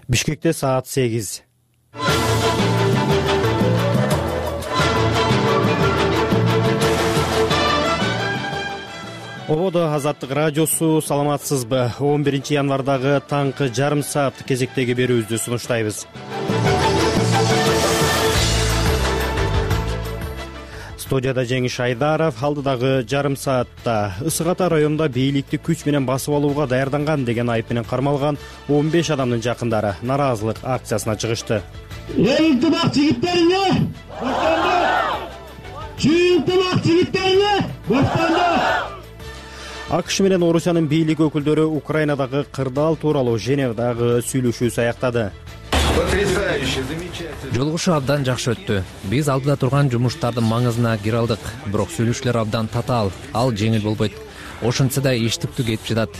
Бишкекте саат 8. Ободо Азаттык радиосу, саламатсызбы? 11 январдагы таңкы жарым саат кезектеги берүүбүздү сунуштайбыз. Студияда Жеңиш Айдаров. Алдыдагы жарым саатта Ысык Ата районунда бийликти күч менен басып алууга даярданган деген айып менен кармалган 15 адамдын жакындары нараазылык акциясына чыгышты. Ынтымак жигиттериңе баштанды! Ынтымак жигиттериңе баштанды! АКШ менен Орусиянын бийлик өкүлдөрү Украинадагы кырдаал тууралуу Женевадагы сүйлөшүүсү аяктады. Жолугушуу абдан жакшы өттү. Биз алдыда турган жумуштардын маңызына кире алдык, бирок сүйлөшүүлөр абдан татаал, ал жеңил болбойт. Ошентсе да иштиктүү кетип жатат.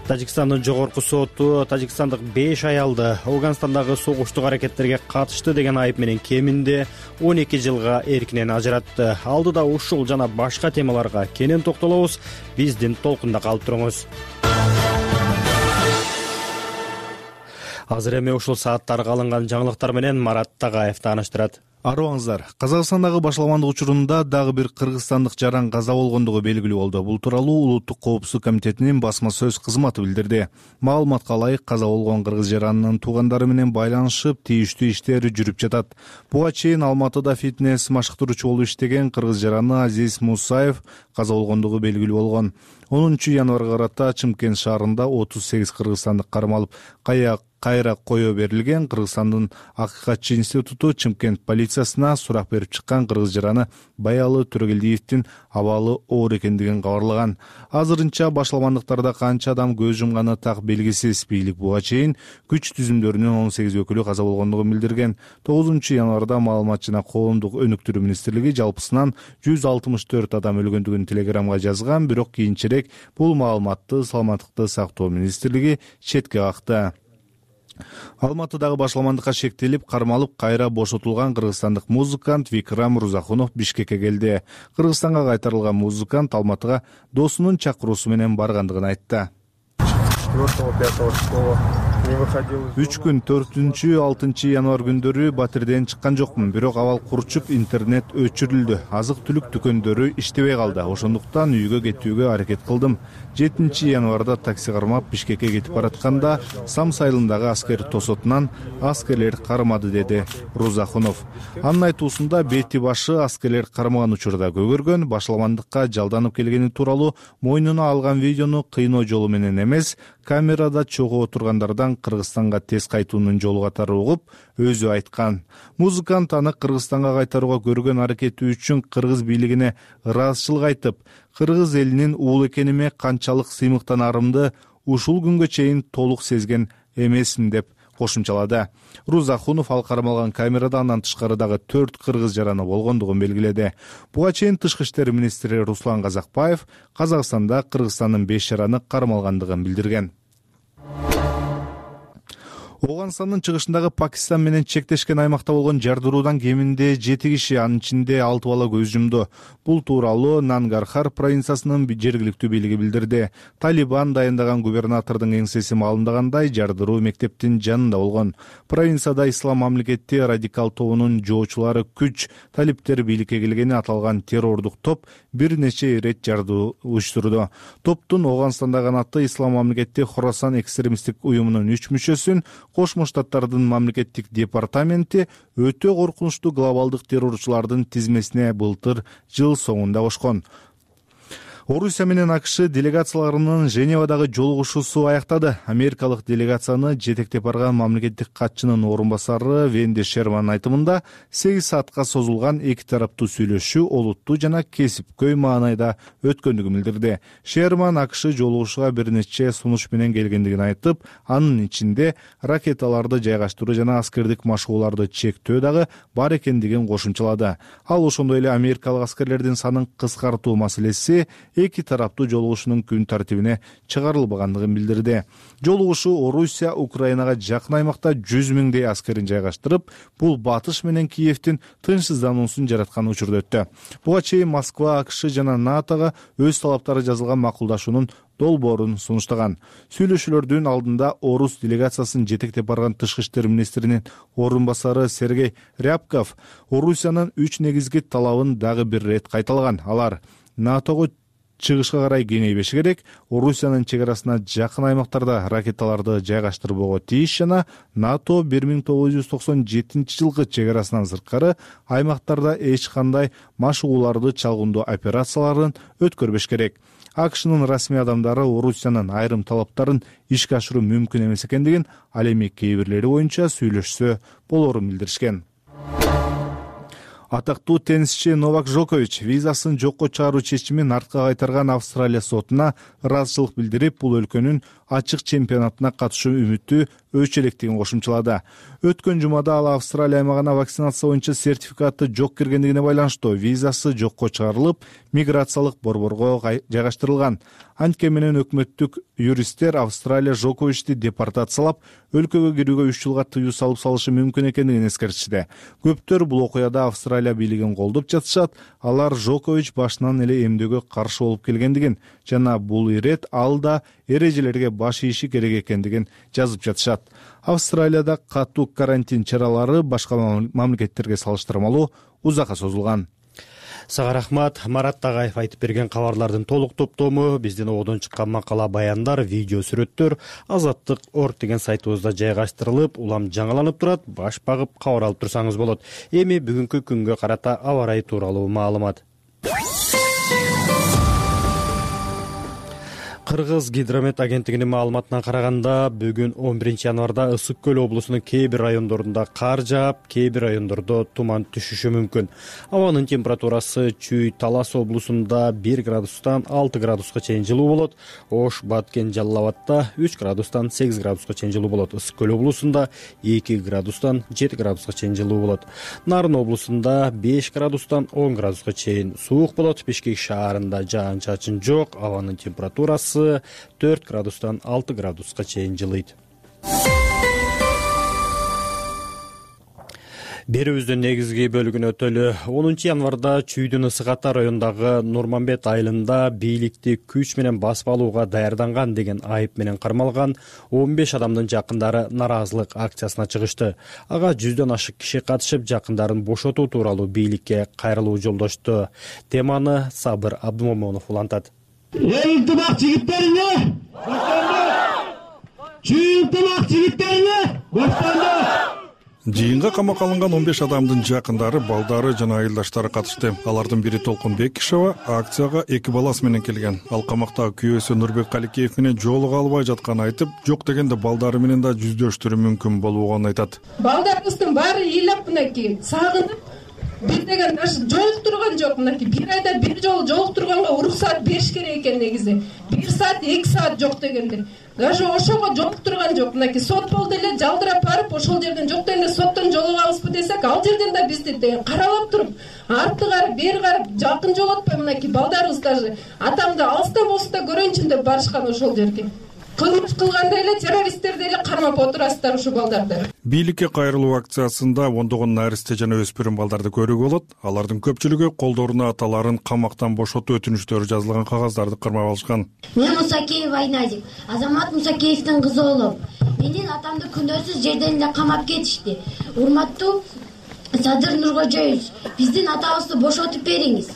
Тажикстандын жогорку соту тажикстандык 5 аялды Афганистандагы согуштук аракеттерге катышты деген айып менен кеминде 12 жылга эркинен ажыратты. Алдыда ушул жана башка темаларга кенен токтолобуз. Биздин толкунда калып туруңуз. Азыр эми ушул сааттарга алынган жаңылыктар менен Марат Тагаев тааныштырат. Арыбаңыздар, Казакстандагы башаламандык учурунда дагы бир кыргызстандык жаран каза болгондугу белгилүү болду. Бул тууралуу Улуттук коопсуздук комитетинин басма сөз кызматы билдирди. Маалыматка ылайык, каза болгон кыргыз жаранынын туугандары менен байланышып, тийиштүү иштери жүрүп жатат. Буга чейин Алматыда фитнес машыктыруучу болуп иштеген кыргыз жараны Азиз Мусаев каза болгондугу белгилүү болгон. 10 январга карата Чымкент шаарында 38 кыргызстандык кармалып кайра кое берилген. Кыргызстандын Акыйкатчы институту Чымкент полициясына сурак берип чыккан кыргыз жараны Баялы Төрөгелдиевдин абалы оор экендигин кабарлаган. Азырынча башаламандыктарда канча адам көз жумганы так белгисиз. Бийлик буга чейин күч түзүмдөрүнүн 18 өкүлү каза болгондугун билдирген. 9 январда маалымат жана коомдук өнүктүрүү министрлиги жалпысынан 164 адам өлгөндүгүн телеграмга жазган, бирок кийинчерээк бул маалыматты Саламаттыкты сактоо министрлиги четке какты. Алматыдагы башаламандыкка шектелип, кармалып, кайра бошотулган кыргызстандык музыкант Викрам Рузахунов Бишкекке келди. Кыргызстанга кайтарылган музыкант Алматыга досунун чакыруусу менен баргандыгын айтты. 3 күн 4-6 январ күндөрү батирден чыккан жокмун, бирок абал курчуп, интернет өчүрүлдү. Азык-түлүк дүкөндөрү иштебей калды. Ошондуктан үйгө кетүүгө аракет кылдым. 7 январда такси кармап Бишкекке кетип баратканда Сам сайылындагы аскер тосотунан аскерлер кармады, деди Рузахунов. Анын айтуусунда бети башы аскерлер кармаган учурда көгөргөн, башаламандыкка жалданып келгени тууралуу мойнуна алган видеону кыйноо жолу менен эмес, камерада чогуу отургандардан Кыргызстанга тез кайтуунун жолу катары угуп, өзү айткан. Музыкант аны Кыргызстанга кайтарууга көргөн аракети үчүн кыргыз бийлигине ыраазычылык айтып, кыргыз элинин уул экениме канчалык сыймыктанарымды ушул күнгө чейин толук сезген эмесмин деп кошумчалады. Рузахунов ал кармалган камерада андан тышкары дагы 4 кыргыз жараны болгондугун белгиледи. Буга чейин Тышкы иштер министри Руслан Казакбаев Казакстанда Кыргызстандын 5 жараны кармалгандыгын билдирген. Афганистандын чыгышындагы Пакистан менен чектешкен аймакта болгон жардыруудан кеминде 7 киши, анын ичинде 6 бала көз жумду. Бул тууралуу Нангархар провинциясынын жергиликтүү бийлиги билдирди. Талибан дайындаган губернатордун кеңсеси маалымдагандай, жардыруу мектептин жанында болгон. Провинцияда Ислам мамлекети радикал тобунун жоочулары күч талиптер бийликке келгени аталган террордук топ бир нече ирет жардыруу уюштурду. Топтун Афганистанда канаты Ислам мамлекети Хорасан экстремисттик уюмунун 3 мүчөсүн Кошмо Штаттардын мамлекеттик департаменти өтө коркунучтуу глобалдык террорчулардын тизмесине былтыр жыл соңунда кошкон. Орусия менен АКШ делегацияларынын Женевадагы жолугушуусу аяктады. Америкалык делегацияны жетектеп барган мамлекеттик катчынын орун басары Венди Шерман айтымында 8 саатка созулган эки тараптуу сүйлөшүү олуттуу жана кесипкөй маанайда өткөндүгүн билдирди. Шерман АКШ жолугушууга бир нече сунуш менен келгендигин айтып, анын ичинде ракеталарды жайгаштыруу жана аскердик машыгууларды чектөө дагы бар экендигин кошумчалады. Ал ошондой эле америкалык аскерлердин санын кыскартуу маселеси эки тараптуу жолугушуунун күн тартибине чыгарылбагандыгын билдирди. Жолугушуу Орусия Украинага жакын аймакта 100 миңдей аскерин жайгаштырып, бул Батыш менен Киевдин тынчсыздануусун жараткан учурда өттү. Буга чейин Москва, АКШ жана НАТОга өз талаптары жазылган макулдашуунун долбоорун сунуштаган. Сүйлөшүүлөрдүн алдында орус делегациясын жетектеп барган тышкы иштер министринин орун басары Сергей Рябков Орусиянын 3 негизги талабын дагы бир ирет кайталаган. Алар НАТОго чыгышка карай кеңейбеши керек, Орусиянын чек арасына жакын аймактарда ракеталарды жайгаштырбоого тийиш жана НАТО 1997 жылкы чек арасынан сырткары аймактарда эч кандай машыгууларды чалгындоо операцияларын өткөрбөш керек. АКШнын расмий адамдары Орусиянын айрым талаптарын ишке ашыруу мүмкүн эмес экендигин, ал эми кээ бирлери боюнча сүйлөшсө болоорун билдиришкен. Атактуу теннисчи Новак Джокович визасын жокко чыгаруу чечимин артка кайтарган Австралия сотуна ыраазычылык билдирип, бул өлкөнүн ачык чемпионатына катышуу үмүтү өчө электигин кошумчалады. Өткөн жумада ал Австралия аймагына вакцинация боюнча сертификаты жок киргендигине байланыштуу визасы жокко чыгарылып, миграциялык борборго жайгаштырылган. Анткени менен өкмөттүк юристтер Австралия Джоковичти депортациялап, өлкөгө кирүүгө 3 жылга тыюу салып салышы мүмкүн экендигин эскертишти. Көптөр бул окуяда Австралия бийлигин колдоп жатышат. Алар Джокович башынан эле эмдөөгө каршы болуп келгендигин жана бул ирет ал да эрежелерге баш ийиши керек экендигин жазып жатышат. Австралияда катуу карантин чаралары башка мамлекеттерге салыштырмалуу узакка созулган. Сага рахмат. Марат Тагаев айтып берген кабарлардын толук топтому биздин ободон чыккан макала, баяндар, видео сүрөттөр Азаттык.org деген сайтыбызда жайгаштырылып, улам жаңыланып турат. Баш багып кабар алып турсаңыз болот. Эми бүгүнкү күнгө карата аба ырайы тууралуу маалымат. Кыргыз гидромет агенттигинин маалыматына караганда, бүгүн 11 январда Ысык көл облусунун кээ бир райондорунда кар жаап, кээ бир райондордо туман түшүшү мүмкүн. Абанын температурасы Чүй, Талас облусунда 1 градустан 6 градуска чейин жылуу болот. Ош, Баткен, Жалал Абадта 3 градустан 8 градуска чейин жылуу болот. Ысык көл облусунда 2 градустан 7 градуска чейин жылуу болот. Нарын облусунда 5 градустан 10 градуска чейин суук болот. Бишкек шаарында жаан-чачын жок. Абанын температурасы 4 градустан 6 градуска чейин жылыйт. Берүүбүздүн негизги бөлүгүнө өтөлү. 10 январда Чүйдүн Ысык Ата районундагы Нурманбет айылында бийликти күч менен басып алууга даярданган деген айып менен кармалган 15 адамдын жакындары нараазылык акциясына чыгышты. Ага 100дөн ашык киши катышып, жакындарын бошотуу тууралуу бийликке кайрылуу жолдошту. Теманы Сабыр Абдумомонов улантат. Ынтымак жигиттерине баштанды. Ынтымак жигиттерине баштанды. Жыйынга камакка алынган 15 адамдын жакындары, балдары жана айылдаштары катышты. Алардын бири Толкун Бекишева акцияга 2 баласы менен келген. Ал камактагы күйөөсү Нурбек Каликеев менен жолуга албай жатканын айтып, жок дегенде балдары менен да жүздөштүрүү мүмкүн болбогонун айтат. Балдарыбыздын баары ыйлап мынакей сагынып, бир деген даже жолуктурган жок. Мынакей бир айда бир жолу жолуктурганга уруксаат бериш керек экен негизи. 1 саат, 2 саат жок дегенде. Даже ошого жолуктурган жок. Мынакей сот болду эле жалдырап барып, ошол жерден жок дегенде соттон жолугабызбы десек, ал жерден да бизди каралап туруп, артты карап, бери карап, жакын жолотпой мынакей балдарыбыз даже атамды алыстан болсо да көрөйүнчү деп барышкан ошол жерге. Кылмыш кылгандай эле террористтерди эле кармап отурасыздар ушул балдарды. Бийликке кайрылуу акциясында ондогон наристе жана өспүрүм балдарды көрүүгө болот. Алардын көпчүлүгү колдоруна аталарын камактан бошотуу өтүнүчтөрү жазылган кагаздарды кармап алышкан. Мен Мусакеев Айназик, Азамат Мусакеевдин кызы болом. Менин атамды күнөөсүз жерден эле камап кетишти. Урматтуу Садыр Нуркожоевич, биздин атабызды бошотуп бериңиз.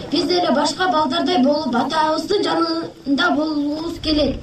Биз деле башка балдардай болуп, атабыздын жанында болгубуз келет.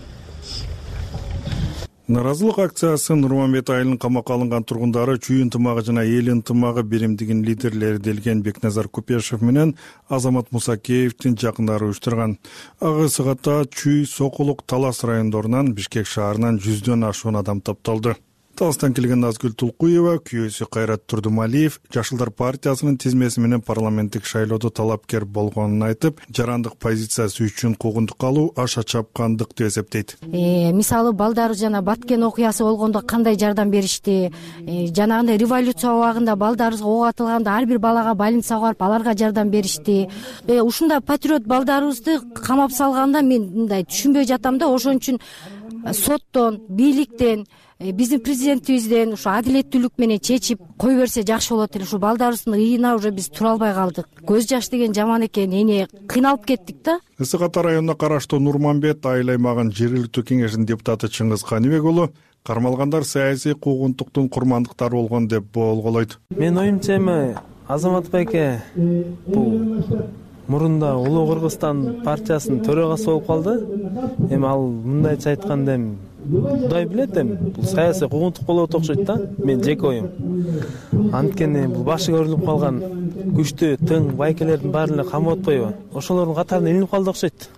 Наразылык акциясы Нурманбет айылынын камакка алынган тургундары, Чүй ынтымагы жана эл ынтымагы биримдигинин лидерлери делген Бекназар Купешев менен Азамат Мусакеевдин жакындары уюштурган. Ага сагатта Чүй, Сокулук, Талас райондорунан, Бишкек шаарынан 100дөн ашуун адам топтолду. Таластан келген Назгүл Тулкуева, күйөөсү Кайрат Турдумалиев Жашылдар партиясынын тизмеси менен парламенттик шайлоодо талапкер болгонун айтып, жарандык позициясы үчүн куугунтук алуу аша чапкандык деп эсептейт. Мисалы балдар жана Баткен окуясы болгондо кандай жардам беришти, жанагындай революция убагында балдарыбызга ок атылганда ар бир балага больницага барып аларга жардам беришти. Ушундай патриот балдарыбызды камап салганда мен мындай түшүнбөй жатам да, ошон үчүн соттон, бийликтен, биздин президентибизден ушу адилеттүүлүк менен чечип кое берсе жакшы болот эле. Ушу балдарыбыздын ыйына уже биз тура албай калдык. Көз жаш деген жаман экен, эне кыйналып кеттик да. Ысык Ата районуна караштуу Нурманбет айыл аймагынын жергиликтүү кеңешинин депутаты Чыңгыз Каныбек уулу кармалгандар саясий куугунтуктун курмандыктары болгон деп болголойт. Мен оюмча эми Азамат байке бул мурунда Улуу Кыргызстан партиясынын төрагасы болуп калды. Эми ал мындайча айтканда эми Кудай билет, эми бул саясий куугунтук болот окшойт да. Мен жеке оюм. Анткени бул башы көрүлүп калган күчтүү тың байкелердин баарын эле камап атпайбы? Ошолордун катарына илинип калды окшойт.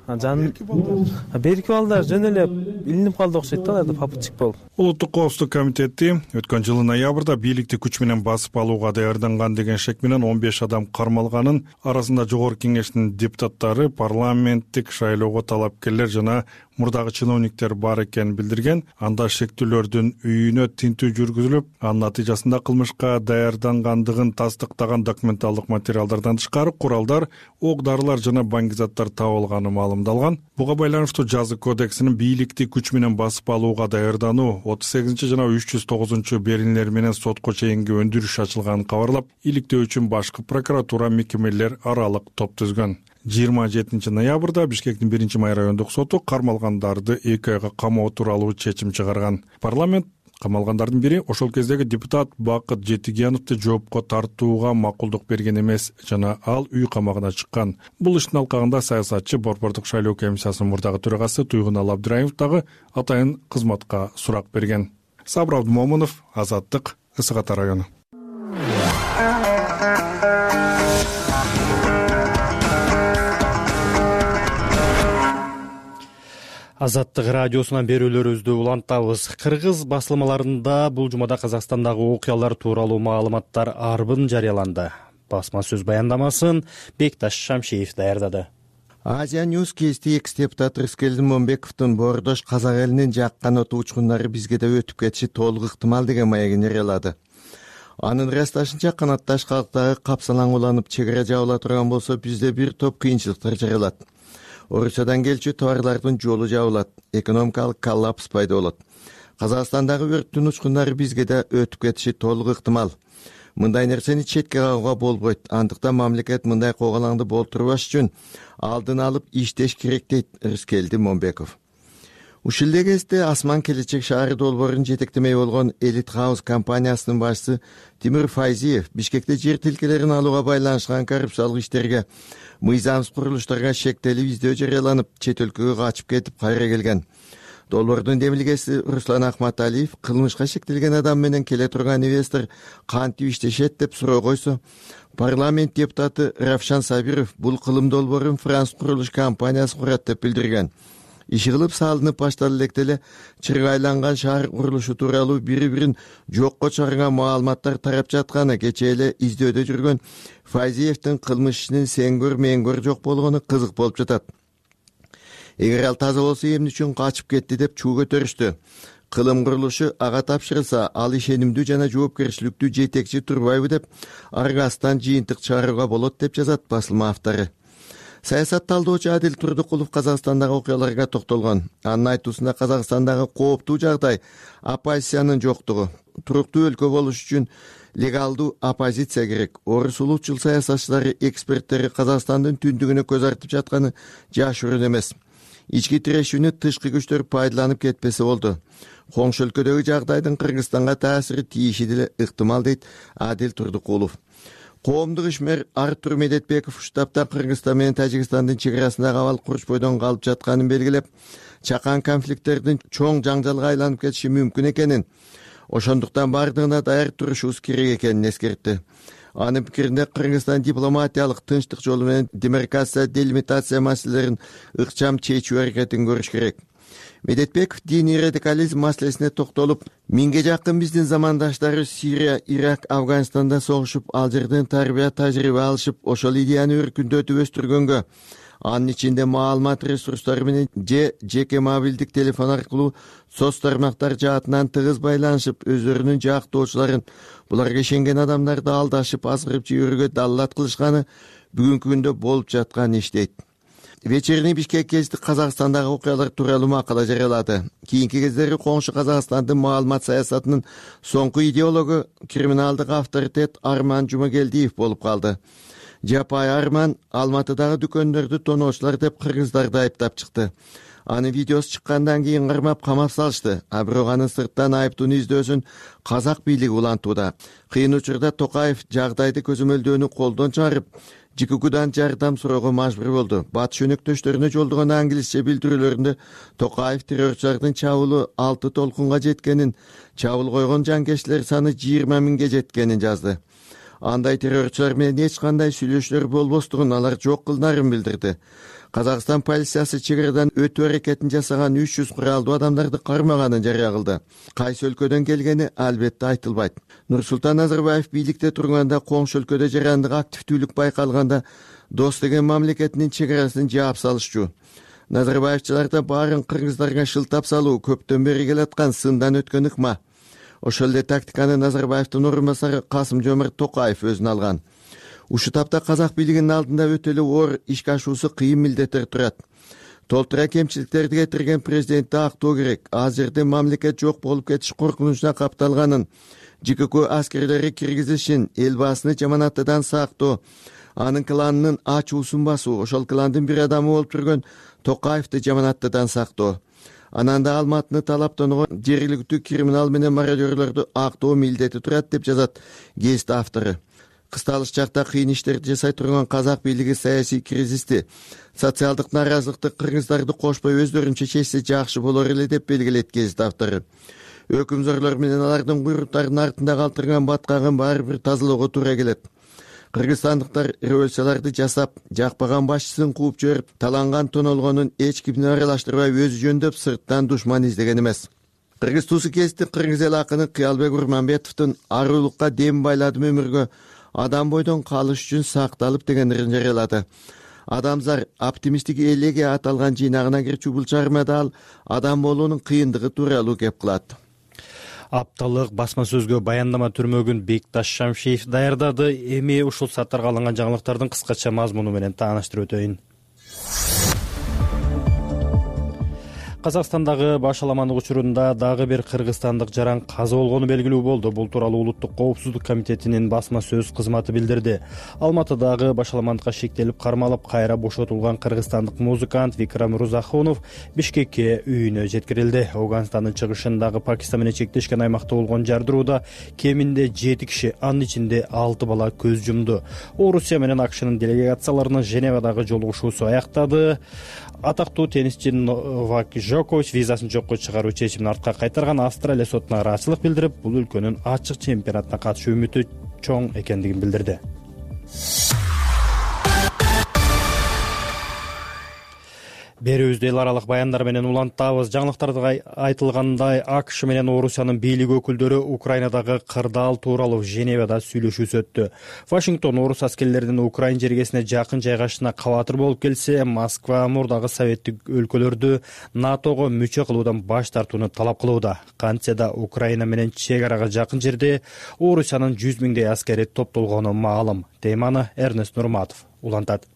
Берки балдар жөн эле илинип калды окшойт да, алар да попутчик болуп. Улуттук коопсуздук комитети өткөн жылы ноябрда бийликти күч менен басып алууга даярданган деген шек менен 15 адам кармалганын, арасында жогорку кеңештин депутаттары, парламенттик шайлоого талапкерлер жана мурдагы чиновниктер бар экенин билдирген. Анда шектүүлөрдүн үйүнө тинтүү жүргүзүлүп, анын натыйжасында кылмышка даярдангандыгын тастыктаган документалдык материалдардан тышкары куралдар, ок дарылар жана баңгизаттар табылганы маалымдалган. Буга байланыштуу жаза кодексинин бийликти күч менен басып алууга даярдануу 38 жана 309 берилмелер менен сотко чейинки өндүрүш ачылганын кабарлап, иликтөө үчүн башкы прокуратура мекемелер аралык топ түзгөн. 27 ноябрда Бишкектин 1-май райондук соту кармалгандарды 2 айга камоо тууралуу чечим чыгарган. Парламент камалгандардын бири ошол кездеги депутат Бакыт Жетигеновду жоопко тартууга макулдук берген эмес жана ал үй камагына чыккан. Бул иштин алкагында саясатчы Борбордук шайлоо комиссиясынын мурдагы төрагасы Туйгунал Абдыраимов дагы атайын кызматка сурак берген. Сабыр Абдымомунов, Азаттык, Ысык Ата району. Азаттык радиосунан берүүлөрүбүздү улантабыз. Кыргыз басылмаларында бул жумада Казакстандагы окуялар тууралуу маалыматтар арбын жарыяланды. Басма сөз баяндамасын Бекташ Шамшиев даярдады. Азия Ньюс кести экс депутат Рыскелдин Момбековдун Боордош казак элинин жаккан оту учкундары бизге да өтүп кетиши толук ыктымал деген маегин жарыялады. Анын ырасташынча канатташ калктагы капсалаң уланып чек ара жабыла турган болсо бизде бир топ кыйынчылыктар жаралат. Орусиядан келчү товарлардын жолу жабылат, экономикалык коллапс пайда болот. Казакстандагы өрттүн учкундары бизге да өтүп кетиши толук ыктымал. Мындай нерсени четке кагууга болбойт. Андыктан мамлекет мындай когалаңды болтурбаш үчүн алдын алып иштеш керек дейт Рыскелдин Момбеков. Ушул эле кезде Асман келечек шаары долбоорун жетектемей болгон Элит Хаус компаниясынын башчысы Тимир Файзиев Бишкекте жер тилкелерин алууга байланышкан коррупциялык иштерге, мыйзамсыз курулуштарга шектелип издөө жарыяланып, чет өлкөгө качып кетип кайра келген. Долбоордун демилгеси Руслан Ахматалиев кылмышка шектелген адам менен келе турган инвестор кантип иштешет деп суроо койсо, парламент депутаты Равшан Сабиров бул кылым долбоорун француз курулуш компаниясы курат деп билдирген. Иши кылып салынып башталып электе эле чыргайланган шаар курулушу тууралуу бири-бирин жокко чыгарган маалыматтар тарап жатканы кечээ эле издөөдө жүргөн Файзиевдин кылмыш ишинин сен көр мен көр жок болгону кызык болуп жатат. Эгер ал таза болсо эмне үчүн качып кетти деп чуу көтөрүштү. Кылым курулушу ага тапшырылса, ал ишенимдүү жана жоопкерчиликтүү жетекчи турбайбы деп аргасынан жыйынтык чыгарууга болот деп жазат басылма автору. Саясат талдоочу Адил Турдукулов Казакстандагы окуяларга токтолгон. Анын айтуусунда Казакстандагы кооптуу жагдай оппозициянын жоктугу. Туруктуу өлкө болуш үчүн легалдуу оппозиция керек. Орус улутчул саясатчылары, эксперттери Казакстандын түндүгүнө көз артып жатканы жашыруун эмес. Ички тирешүүнү тышкы күчтөр пайдаланып кетпесе болду. Коңшу өлкөдөгү жагдайдын Кыргызстанга таасири тийиши деле ыктымал дейт Адил Турдукулов. Коомдук ишмер Артур Медетбеков штабта Кыргызстан менен Тажикстандын чек арасындагы абал курч бойдон калып жатканын белгилеп, чакан конфликттердин чоң жаңжалга айланып кетиши мүмкүн экенин, ошондуктан бардыгына даяр турушубуз керек экенин эскертти. Анын пикиринде Кыргызстан дипломатиялык тынчтык жолу менен демаркация, делимитация маселелерин ыкчам чечүү аракетин көрүш керек. Медетбеков диний радикализм маселесине токтолуп, миңге жакын биздин замандаштары Сирия, Ирак, Афганистанда согушуп, ал жерден тарбия тажрыйба алышып, ошол идеяны өркүндөтүп өстүргөнгө, анын ичинде маалымат ресурстары менен жеке мобилдик телефон аркылуу соц тармактар жаатынан тыгыз байланышып, өздөрүнүн жактоочуларын, буларга ишенген адамдарды алдашып, азгырып жиберүүгө даллат кылышканы бүгүнкү күндө болуп жаткан иш дейт. Вечерний Бишкек гезити Казакстандагы окуялар тууралуу макала жарыялады. Кийинки кездери коңшу Казакстандын маалымат саясатынын соңку идеологу криминалдык авторитет Арман Жумагелдиев болуп калды. Жапай Арман Алматыдагы дүкөндөрдү тоноочулар деп кыргыздарды айыптап чыкты. Анын видеосу чыккандан кийин кармап камап салышты. А бирок анын сырттан айыптууну издөөсүн казак бийлиги улантууда. Кыйын учурда Токаев жагдайды көзөмөлдөөнү колдон чыгарып, ЖККдан жардам суроого мажбур болду. Батыш өнөктөштөрүнө жолдогон англисче билдирүүлөрүндө Токаев террорчулардын чабуулу 6 толкунга жеткенин, чабуул койгон жанкечтилер саны 20 миңге жеткенин жазды. Андай террорчулар менен эч кандай сүйлөшүүлөр болбостугун алар жок кылдарын билдирди. Казакстан полициясы чек арадан өтүү аракетин жасаган 300 куралдуу адамдарды кармаганын жарыя кылды. Кайсы өлкөдөн келгени албетте айтылбайт. Нурсултан Назарбаев бийликте турганда коңшу өлкөдө жарандык активдүүлүк байкалганда Дос деген мамлекетинин чек арасын жаап салышчу. Назарбаевчыларда баарын кыргыздарга шылтап салуу көптөн бери келаткан сындан өткөн ыкма. Ошол эле тактиканы Назарбаевдин орун басары Касым-Жомарт Токаев өзүнө алган. Ушул тапта казак бийлигинин алдында өтө эле оор ишке ашуусу кыйын милдеттер турат. Толтура кемчиликтерди кетирген президентти актоо керек. Азыр жерде мамлекет жок болуп кетиш коркунучуна капталганын, ЖКК аскерлери киргизишин, эл баасыны жаманаттыдан сактоо, анын кланынын ачуусун басуу, ошол кландын бир адамы болуп жүргөн Токаевди жаманаттыдан сактоо. Анан да Алматыны талаптоого жергиликтүү криминал менен мародёрлорду актоо милдети турат деп жазат гезит автору. Кысталыш чакта кыйын иштерди жасай турган казак бийлиги саясий кризисти, социалдык нааразылыкты кыргыздарды кошпой өздөрүнчө чечсе жакшы болор эле деп белгилейт гезит автору. Өкүмзорлор менен алардын куйруктарынын артында калтырган баткагын баары бир тазалоого туура келет. Кыргызстандыктар революцияларды жасап, жакпаган башчысын кууп жиберип, таланган тонолгонун эч кимди аралаштырбай өзү жөндөп сырттан душман издеген эмес. Кыргыз туусу гезити кыргыз эл акыны Кыялбек Урманбетовдун арулукка дем байладым өмүргө, адам бойдон калыш үчүн сакталып дегендерин жарыялады. Адамзар оптимисттик элеге аталган жыйнагына кирчү бул чыгармада ал адам болуунун кыйындыгы тууралуу кеп кылат. Апталык басма сөзгө баяндама түрмөгүн Бекташ Шамшиев даярдады. Эми ушул сааттарга алынган жаңылыктардын кыскача мазмуну менен тааныштырып өтөйүн. Казакстандагы башаламандык учурунда дагы бир кыргызстандык жаран каза болгону белгилүү болду. Бул тууралуу Улуттук коопсуздук комитетинин басма сөз кызматы билдирди. Алматыдагы башаламандыкка шектелип кармалып кайра бошотулган кыргызстандык музыкант Викрам Рузахунов Бишкекке үйүнө жеткирилди. Афганстандын чыгышындагы Пакистан менен чектешкен аймакта болгон жардырууда кеминде 7 киши, анын ичинде 6 бала көз жумду. Орусия менен АКШнын делегацияларынын Женевадагы жолугушуусу аяктады. Атактуу теннисчи Новак Джокович визасын жокко чыгаруу чечимин артка кайтарган. Австралия сотуна ыраазычылык билдирип, бул өлкөнүн ачык чемпионатына катышуу үмүтү чоң экендигин билдирди. Берүүбүздү эл аралык баяндар менен улантабыз. Жаңылыктарда айтылгандай, АКШ менен Орусиянын бийлик өкүлдөрү Украинадагы кырдаал тууралуу Женевада сүйлөшүүсү өттү. Вашингтон орус аскерлеринин Украин жергесине жакын жайгашышына кабатыр болуп келсе, Москва мурдагы советтик өлкөлөрдү НАТОго мүчө кылуудан баш тартууну талап кылууда. Кантсе да Украина менен чек арага жакын жерде Орусиянын 100 миңдей аскери топтолгону маалым. Теманы Эрнест Нурматов улантат.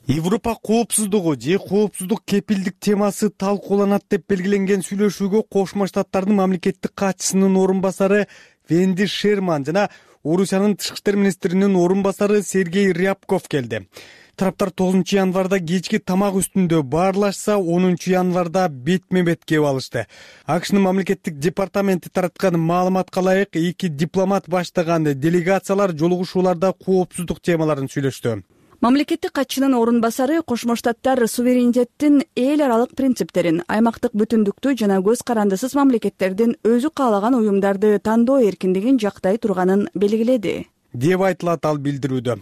Европа коопсуздугу же коопсуздук кепилдик темасы талкууланат деп белгиленген сүйлөшүүгө Кошмо Штаттардын мамлекеттик катчысынын орун басары Венди Шерман жана Орусиянын тышкы иштер министринин орун басары Сергей Рябков келди. Тараптар 9 январда кечки тамак үстүндө баарлашса, 10 январда бетме-бет кеп алышты. АКШнын мамлекеттик департаменти тараткан маалыматка ылайык, 2 дипломат баштаган делегациялар жолугушууларда коопсуздук темаларын сүйлөштү. Мамлекеттик катчынын орун басары Кошмо Штаттар суверенитеттин эл аралык принциптерин, аймактык бүтүндүктү жана көз карандысыз мамлекеттердин өзү каалаган уюмдарды тандоо эркиндигин жактай турганын белгиледи, деп айтылат ал билдирүүдө.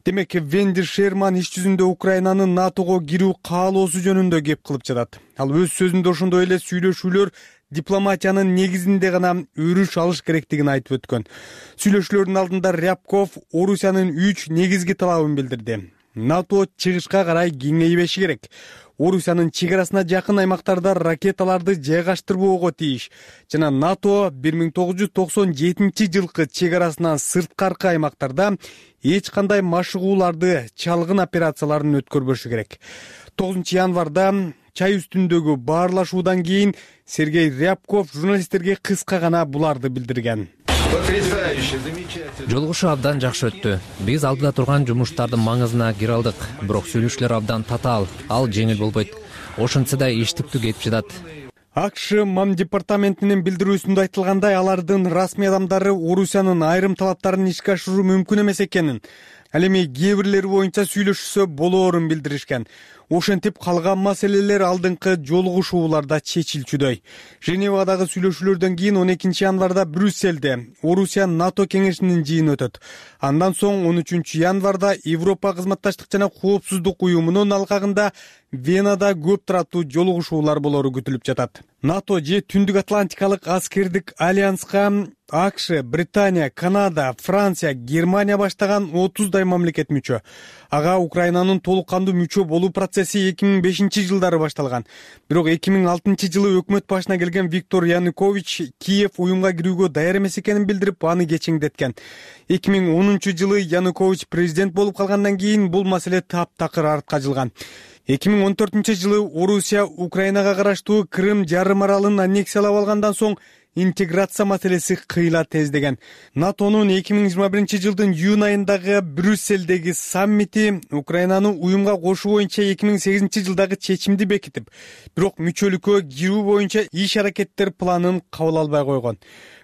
Демек, Венди Шерман иш жүзүндө Украинанын НАТОго кирүү каалоосу жөнүндө кеп кылып жатат. Ал өз сөзүндө ошондой эле сүйлөшүүлөр дипломатиянын негизинде гана өрүш алыш керектигин айтып өткөн. Сүйлөшүүлөрдүн алдында Рябков Орусиянын 3 негизги талабын билдирди. НАТО чыгышка карай кеңейбеши керек. Орусиянын чек арасына жакын аймактарда ракеталарды жайгаштырбоого тийиш жана НАТО 1997 жылкы чек арасынан сырткаркы аймактарда эч кандай машыгууларды, чалгын операцияларын өткөрбөшү керек. 9 январда чай үстүндөгү баарлашуудан кийин Сергей Рябков журналисттерге кыска гана буларды билдирген. Жолугушуу абдан жакшы өттү. Биз алдыда турган жумуштардын маңызына кире алдык, бирок сүйлөшүүлөр абдан татаал, ал жеңил болбойт. Ошентсе да иштиктүү кетип жатат. АКШ МАМ департаментинин билдирүүсүндө айтылгандай, алардын расмий адамдары Орусиянын айрым талаптарын ишке ашыруу мүмкүн эмес экенин, ал эми кээ бирлери боюнча сүйлөшүшсө болоорун билдиришкен. Ошентип калган маселелер алдыңкы жолугушууларда чечилчүдөй. Женевадагы сүйлөшүүлөрдөн кийин 12 январда Брюсселде Орусия НАТО кеңешинин жыйыны өтөт. Андан соң 13 январда Европа кызматташтык жана коопсуздук уюмунун алкагында Венада көп тараттуу жолугушуулар болору күтүлүп жатат. НАТО же Түндүк Атлантикалык аскердик альянска АКШ, Британия, Канада, Франция, Германия баштаган 30дай мамлекет мүчө. Ага Украинанын толук кандуу мүчө болуу процесси 2005 жылдары башталган. Бирок 2006 жылы өкмөт башына келген Виктор Янукович Киев уюмга кирүүгө даяр эмес экенин билдирип, аны кечиңдеткен. 2010 жылы Янукович президент болуп калгандан кийин бул маселе таптакыр артка жылган. 2014 жылы Орусия Украинага караштуу Крым жарым аралын аннексиялап алгандан соң интеграция маселеси кыйла тездеген. НАТОнун 2021 жылдын июнь айындагы Брюсселдеги саммити Украинаны уюмга кошуу боюнча 2008 жылдагы чечимди бекитип, бирок мүчөлүккө кирүү боюнча иш аракеттер планын кабыл албай койгон.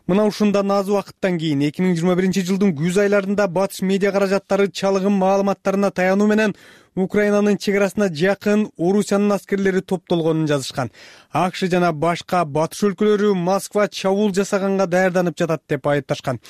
Мына ушундан аз убакыттан кийин 2021 жылдын күз айларында батыш медиа каражаттары чалгын маалыматтарына таянуу менен Украинанын чек арасына жакын Орусиянын аскерлери топтолгонун жазышкан. АКШ жана башка батыш өлкөлөрү Москва чабуул жасаганга даярданып жатат деп айыпташкан.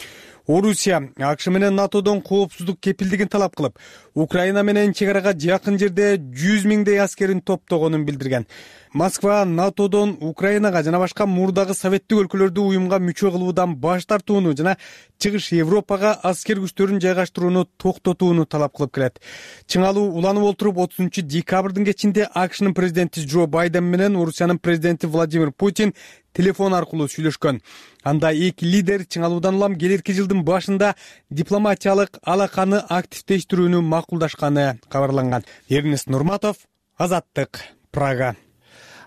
Орусия АКШ менен НАТОдон коопсуздук кепилдигин талап кылып, Украина менен чек арага жакын жерде 100 миңдей аскерин топтогонун билдирген. Москва НАТОдон Украинага жана башка мурдагы советтик өлкөлөрдү уюмга мүчө кылуудан баш тартууну жана чыгыш Европага аскер күчтөрүн жайгаштырууну токтотууну талап кылып келет. Чыңалуу уланып олтуруп 30 декабрдын кечинде АКШнын президенти Джо Байден менен Орусиянын президенти Владимир Путин телефон аркылуу сүйлөшкөн. Анда эки лидер чыңалуудан улам келерки жылдын башында дипломатиялык алаканы активдештирүүнү макулдашканы кабарланган. Эрнест Нурматов, Азаттык, Прага.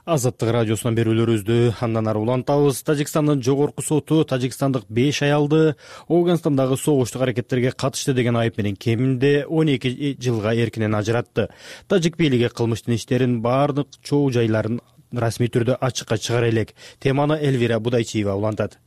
Азаттык радиосунан берүүлөрүбүздү андан ары улантабыз. Тажикстандын жогорку соту тажикстандык 5 аялды Афганстандагы согуштук аракеттерге катышты деген айып менен кеминде 12 жылга эркинен ажыратты. Тажик бийлиги кылмыштын иштерин баардык чоо жайларын расмий түрдө ачыкка чыгара элек. Теманы Элвира Будайчиева улантат.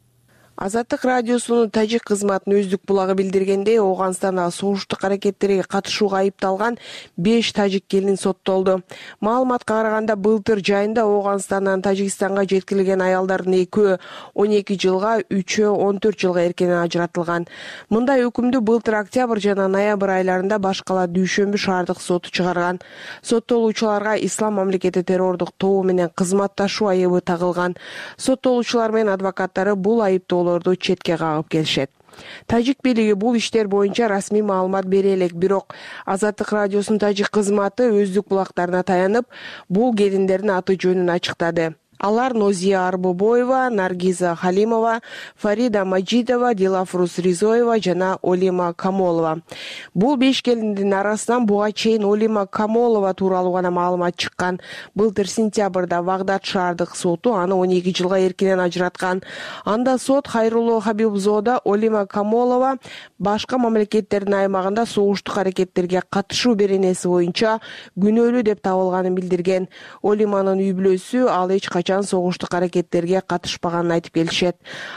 Азаттык радиосунун тажик кызматынын өздүк булагы билдиргендей, Афганстандагы согуштук аракеттерге катышууга айыпталган 5 тажик келин соттолду. Маалыматка караганда, былтыр жайында Афганистандан Тажикстанга жеткирилген аялдардын 2-өө 12 жылга, 3-өө 14 жылга эркинен ажыратылган. Мындай өкүмдү былтыр октябрь жана ноябрь айларында Баш кала Дүйшөмбү шаардык соту чыгарган. Соттолуучуларга ислам мамлекети террордук тобу менен кызматташуу айыбы тагылган. Соттолуучулар менен адвокаттары бул айыптоо четке кагып келишет. Тажик бийлиги бул иштер боюнча расмий маалымат бере элек, бирок Азаттык радиосунун тажик кызматы өздүк булактарына таянып, бул келиндердин аты жөнүн ачыктады. Алар Нозия Арбобоева, Наргиза Халимова, Фарида Маджидова, Дилафрус Ризоева жана Олима Камолова. Бул 5 келиндин арасынан буга чейин Олима Камолова тууралуу гана маалымат чыккан. Былтыр сентябрда Багдад шаардык соту аны 12 жылга эркинен ажыраткан. Анда сот Хайрулло Хабибзода Олима Камолова башка мамлекеттердин аймагында согуштук аракеттерге катышуу беренеси боюнча күнөөлүү деп табылганын билдирген. Олиманын үй бүлөсү ал эч согуштук аракеттерге катышпаганын айтып келишет.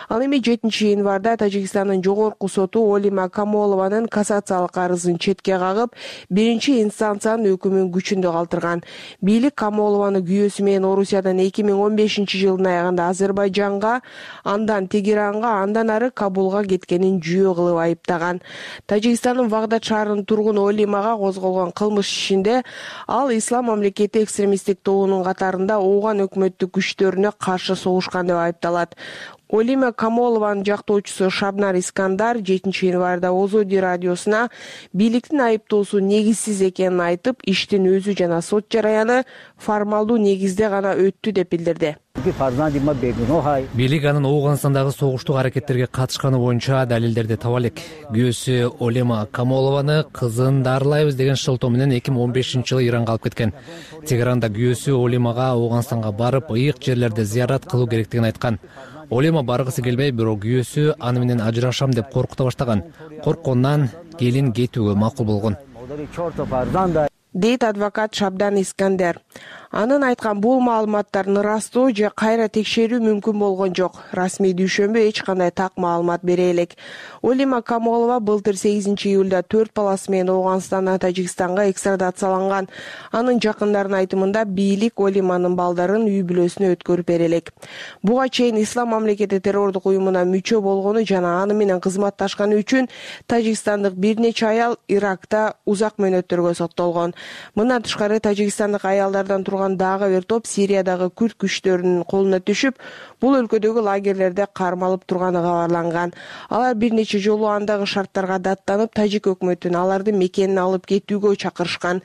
Ал эми 7 январда Тажикстандын жогорку соту Олима Камолованын кассациялык арызын четке кагып, биринчи инстанциянын өкүмүн күчүндө калтырган. Бийлик Камолованы күйөөсү менен Орусиядан 2015 жылдын аягында Азербайжанга, андан Тегеранга, андан ары Кабулга кеткенин жүйө кылып айыптаган. Тажикстандын Багдад шаарынын тургуну Олимага козголгон кылмыш ишинде ал ислам мамлекети экстремисттик тобунун катарында Афган өкмөттүк күчтөрүнө каршы согушкан деп айыпталат. Олима Камолованын жактоочусу Шабнар Искандар 7-январда Озоди радиосуна бийликтин айыптоосу негизсиз экенин айтып, иштин өзү жана сот жараяны формалдуу негизде гана өттү деп билдирди. Бийлик анын Ооганстандагы согуштук аракеттерге катышканы боюнча далилдерди таба элек. Күйөөсү Олима Камолованы кызын дарылайбыз деген шылтоо менен 2015-жылы Иранга алып кеткен. Тегеранда күйөөсү Олимага Ооганстанга барып, ыйык жерлерди зыярат кылуу керектигин айткан. Олима баргысы келбей, бирок күйөөсү аны менен ажырашам деп коркута баштаган. Корккондон келин кетүүгө макул болгон, дейт адвокат Шабдан Искандер. Анын айткан бул маалыматтарын ырастоо же кайра текшерүү мүмкүн болгон жок. Расмий дүйшөмбү эч кандай так маалымат бере элек. Олима Камолова былтыр 8-июлда 4 баласы менен Ооганстандан Тажикстанга экстрадацияланган. Анын жакындарынын айтымында бийлик Олиманын балдарын үй бүлөсүнө өткөрүп бере элек. Буга чейин Ислам мамлекети террордук уюмуна мүчө болгону жана аны менен кызматташканы үчүн тажикстандык бир нече аял Иракта узак мөөнөттөргө соттолгон. Мындан тышкары тажикстандык аялдардан турган дагы бир топ Сириядагы күрд күчтөрүнүн колуна түшүп, бул өлкөдөгү лагерлерде кармалып турганы кабарланган. Алар бир нече жолу андагы шарттарга даттанып, тажик өкмөтүн аларды мекенин алып кетүүгө чакырышкан.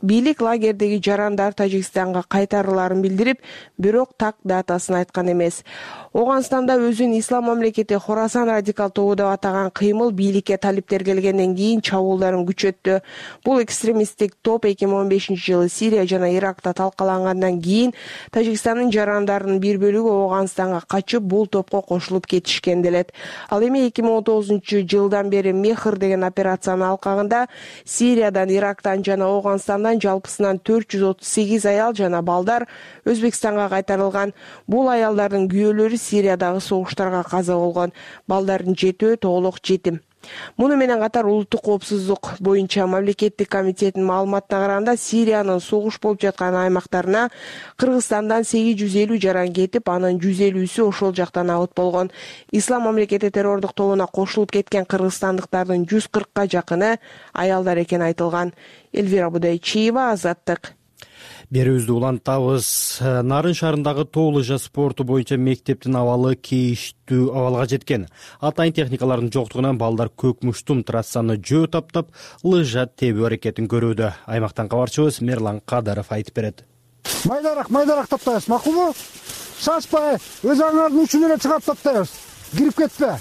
Бийлик лагердеги жарандар Тажикстанга кайтарыларын билдирип, бирок так датасын айткан эмес. Ооганстанда өзүн Ислам мамлекети Хорасан радикал тобу деп атаган кыймыл бийликке талиптер келгенден кийин чабуулдарын күчөттү. Бул экстремисттик топ 2015-жылы Сирия жана Иракта талкалангандан кийин Тажикстандын жарандарынын бир бөлүгү Ооганстанга качып, бул топко кошулуп кетишкен делет. Ал эми 2019-жылдан бери Мехр деген операциянын алкагында Сириядан, Ирактан жана Ооганстандан жалпысынан 438 аял жана балдар Өзбекстанга кайтарылган. Бул аялдардын күйөөлөрү Сириядагы согуштарга каза болгон. Балдардын 7-өө толук жетим. Муну менен катар улуттук коопсуздук боюнча мамлекеттик комитеттин маалыматына караганда Сириянын согуш болуп жаткан аймактарына Кыргызстандан 850 жаран кетип, анын 150-сү ошол жактан абыт болгон. Ислам мамлекети террордук тобуна кошулуп кеткен кыргызстандыктардын 140ка жакыны аялдар экени айтылган. Эльвира Будайчиева, Азаттык. Берүүбүздү улантабыз. Нарын шаарындагы тоо лыжа спорту боюнча мектептин абалы кейиштүү абалга жеткен. Атайын техникалардын жоктугунан балдар көк муштум трассаны жөө таптап, лыжа тебүү аракетин көрүүдө. Аймактан кабарчыбыз Мерлан Кадаров айтып берет. Майдаrak таптайбыз, макулбу? Шашпай, өз аңардын учун эле чыгап таптайбыз. Кирип кетпе.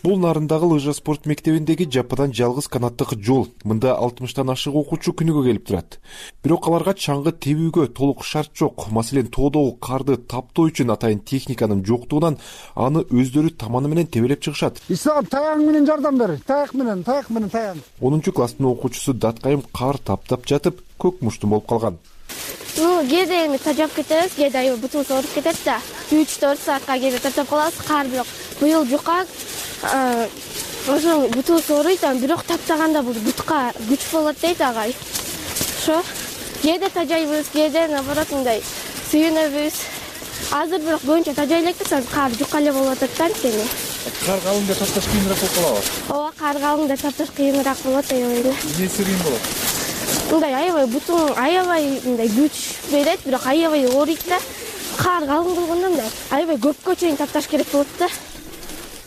Бул Нарындагы лыжа спорт мектебиндеги жападан жалгыз канаттык жол. Мында 60тан ашык окуучу күнүгө келип турат. Бирок аларга чаңгы тебүүгө толук шарт жок. Маселен, тоодогу карды таптоо үчүн атайын техниканын жоктугунан аны өздөрү таманы менен тебелеп чыгышат. Ислам, таяң менен жардам бер. Таяк менен таяң. 10-класстын окуучусу Даткайым кар таптап жатып, көк муштум болуп калган. Кээде эми тажап кетебиз, кээде бутун ооруп кетет да. 3-4 саатка кээде таптап калабыз, кар бирок быйыл жука. Ошо бутун ооруйт, бирок таптаганда бул бутка күч болот дейт агай. Ошо кээде тажайбыз, кээде наоборот мындай сүйүнөбүз. Азыр бирок көбүнчө тажай элекпиз, кар жука эле болуп атат да анткени. Кар калыңда тапташ кыйыныраак болуп калабы? Ооба, кар калыңда тапташ кыйыныраак болот, аябай. Эмнеси кыйын болот? Мындай аябай бутун аябай мындай күч берет, бирок аябай ооруйт да. Кар калың болгондо мындай аябай көпкө чейин тапташ керек болот да.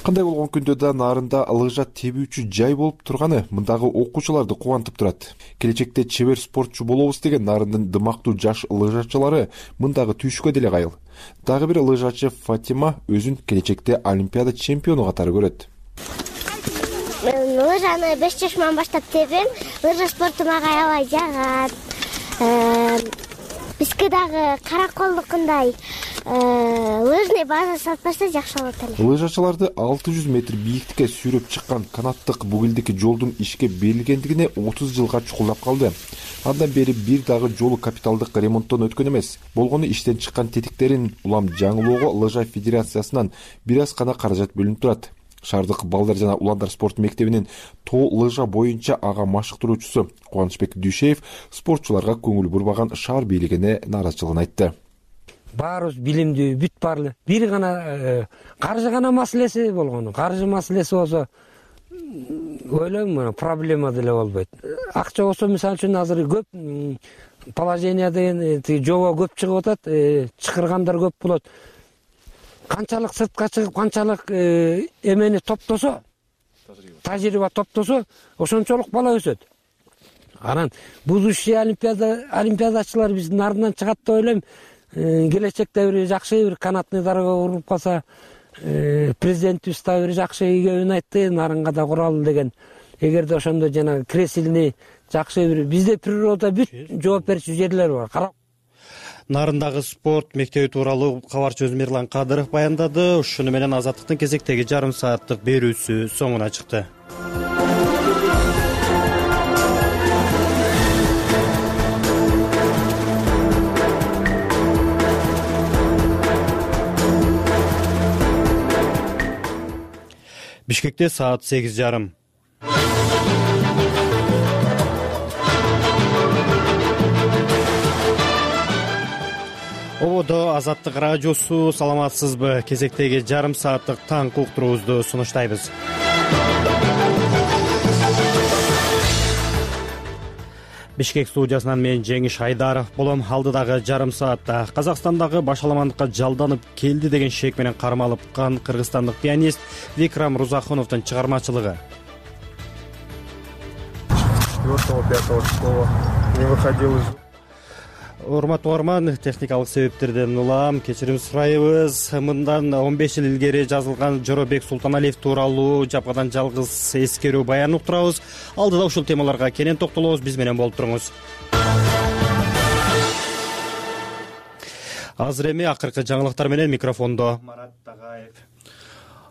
Кандай болгон күндө да Нарында лыжа тебүүчү жай болуп турганы мындагы окуучуларды кубантып турат. Келечекте чебер спортчу болобуз деген Нарындын дымактуу жаш лыжачылары мындагы түйшүккө деле кайыл. Дагы бир лыжачы Фатима өзүн келечекте олимпиада чемпиону катары көрөт. Мен лыжаны 5 жашыман баштап тебем. Лыжа спорту мага аябай жагат. Бизге дагы караколдукундай лыжный база сатпаса жакшы болот эле. Лыжачыларды 600 метр бийиктикке сүйрөп чыккан канаттык бугилдик жолдун ишке берилгендигине 30 жылга чукулдап калды. Андан бери бир дагы жолу капиталдык ремонттон өткөн эмес. Болгону иштен чыккан тетиктерин улам жаңылоого лыжа федерациясынан бир аз гана каражат бөлүнүп турат. Шаардык балдар жана уландар спорт мектебинин тоо лыжа боюнча ага машыктыруучусу Кубанычбек Дүйшеев спортчуларга көңүл бурбаган шаар бийлигине нааразычылыгын айтты. Баарыбыз билимдүү, бүт баарлы. Бир гана каржы гана маселеси болгону. Каржы маселеси болсо ойлойм, проблема деле болбойт. Акча болсо, мисалы үчүн азыр көп положение деген жоба көп чыгып атат, чакыргандар көп болот. канчалык сыртка чыгып канчалык эмени топтосо, тажрыйба топтосо, ошончолук бала өсөт. Анан будущий олимпиадачылар биздин ардынан чыгат деп ойлойм. Келечекте бир жакшы бир канатный дарга уруп калса, президентибиз да бир жакшы ийгебин айтты, нарынга да куралы деген. Эгерде ошондо жана кресилный жакшы бир бизде природа бүт жооп берчү жерлер бар. Нарындагы спорт мектеби тууралуу кабарчыбыз Мирлан Кадыров баяндады. Ушуну менен Азаттыктын кезектеги жарым сааттык берүүсү соңуна чыкты. Бишкекте саат 8:30. Ободо Азаттык радиосу, саламатсызбы? Кезектеги жарым сааттык таңкы уктуруубузду сунуштайбыз. Бишкек студиясынан мен Жеңиш Айдаров болом. Алдыдагы жарым саатта Казакстандагы башаламандыкка жалданып келди деген шек менен кармалыпкан кыргызстандык пианист Викрам Рузахуновдун чыгармачылыгы. 4-5 числа не выходил из... Урматтуу угарман, техникалык себептерден улам кечирим сурайбыз. Мындан 15 жыл илгери жазылган Жоробек Султаналиев тууралуу жападан жалгыз эскерүү баян уктурабыз. Алдыда ушул темаларга кенен токтолобуз. Биз менен болуп туруңуз. Азыр эми акыркы жаңылыктар менен микрофондо Марат Тагаев.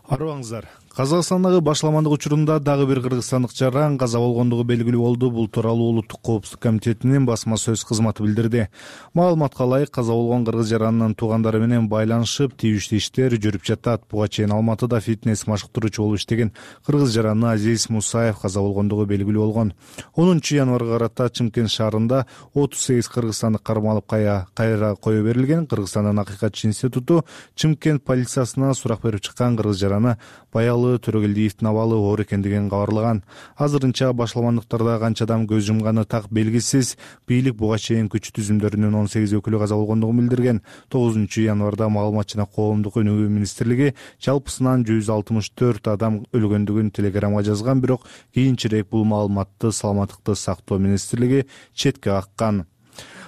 Арыбаңыздар. Казакстандагы башаламандык учурунда дагы бир кыргызстандык жаран каза болгондугу белгилүү болду. Бул тууралуу Улуттук коопсуздук комитетинин басма сөз кызматы билдирди. Маалыматка ылайык, каза болгон кыргыз жаранынын туугандары менен байланышып, тийиштүү иштер жүрүп жатат. Буга чейин Алматыда фитнес машыктыруучу болуп иштеген кыргыз жараны Азиз Мусаев каза болгондугу белгилүү болгон. 10 январга карата Чымкент шаарында 38 кыргызстандык кармалып кайра кое берилген. Кыргызстандын Акыйкатчы институту Чымкент полициясына сурак берип чыккан кыргыз жараны Баялы Төрөгелдиевдин абалы оор экендигин кабарлаган. Азырынча башаламандыктарда канча адам көз жумганы так белгисиз. Бийлик буга чейин күч түзүмдөрүнүн 18 өкүлү каза болгондугун билдирген. 9 январда Маалымат жана коомдук өнүгүү министрлиги жалпысынан 164 адам өлгөндүгүн телеграмга жазган, бирок кийинчерээк бул маалыматты Саламаттыкты сактоо министрлиги четке каккан.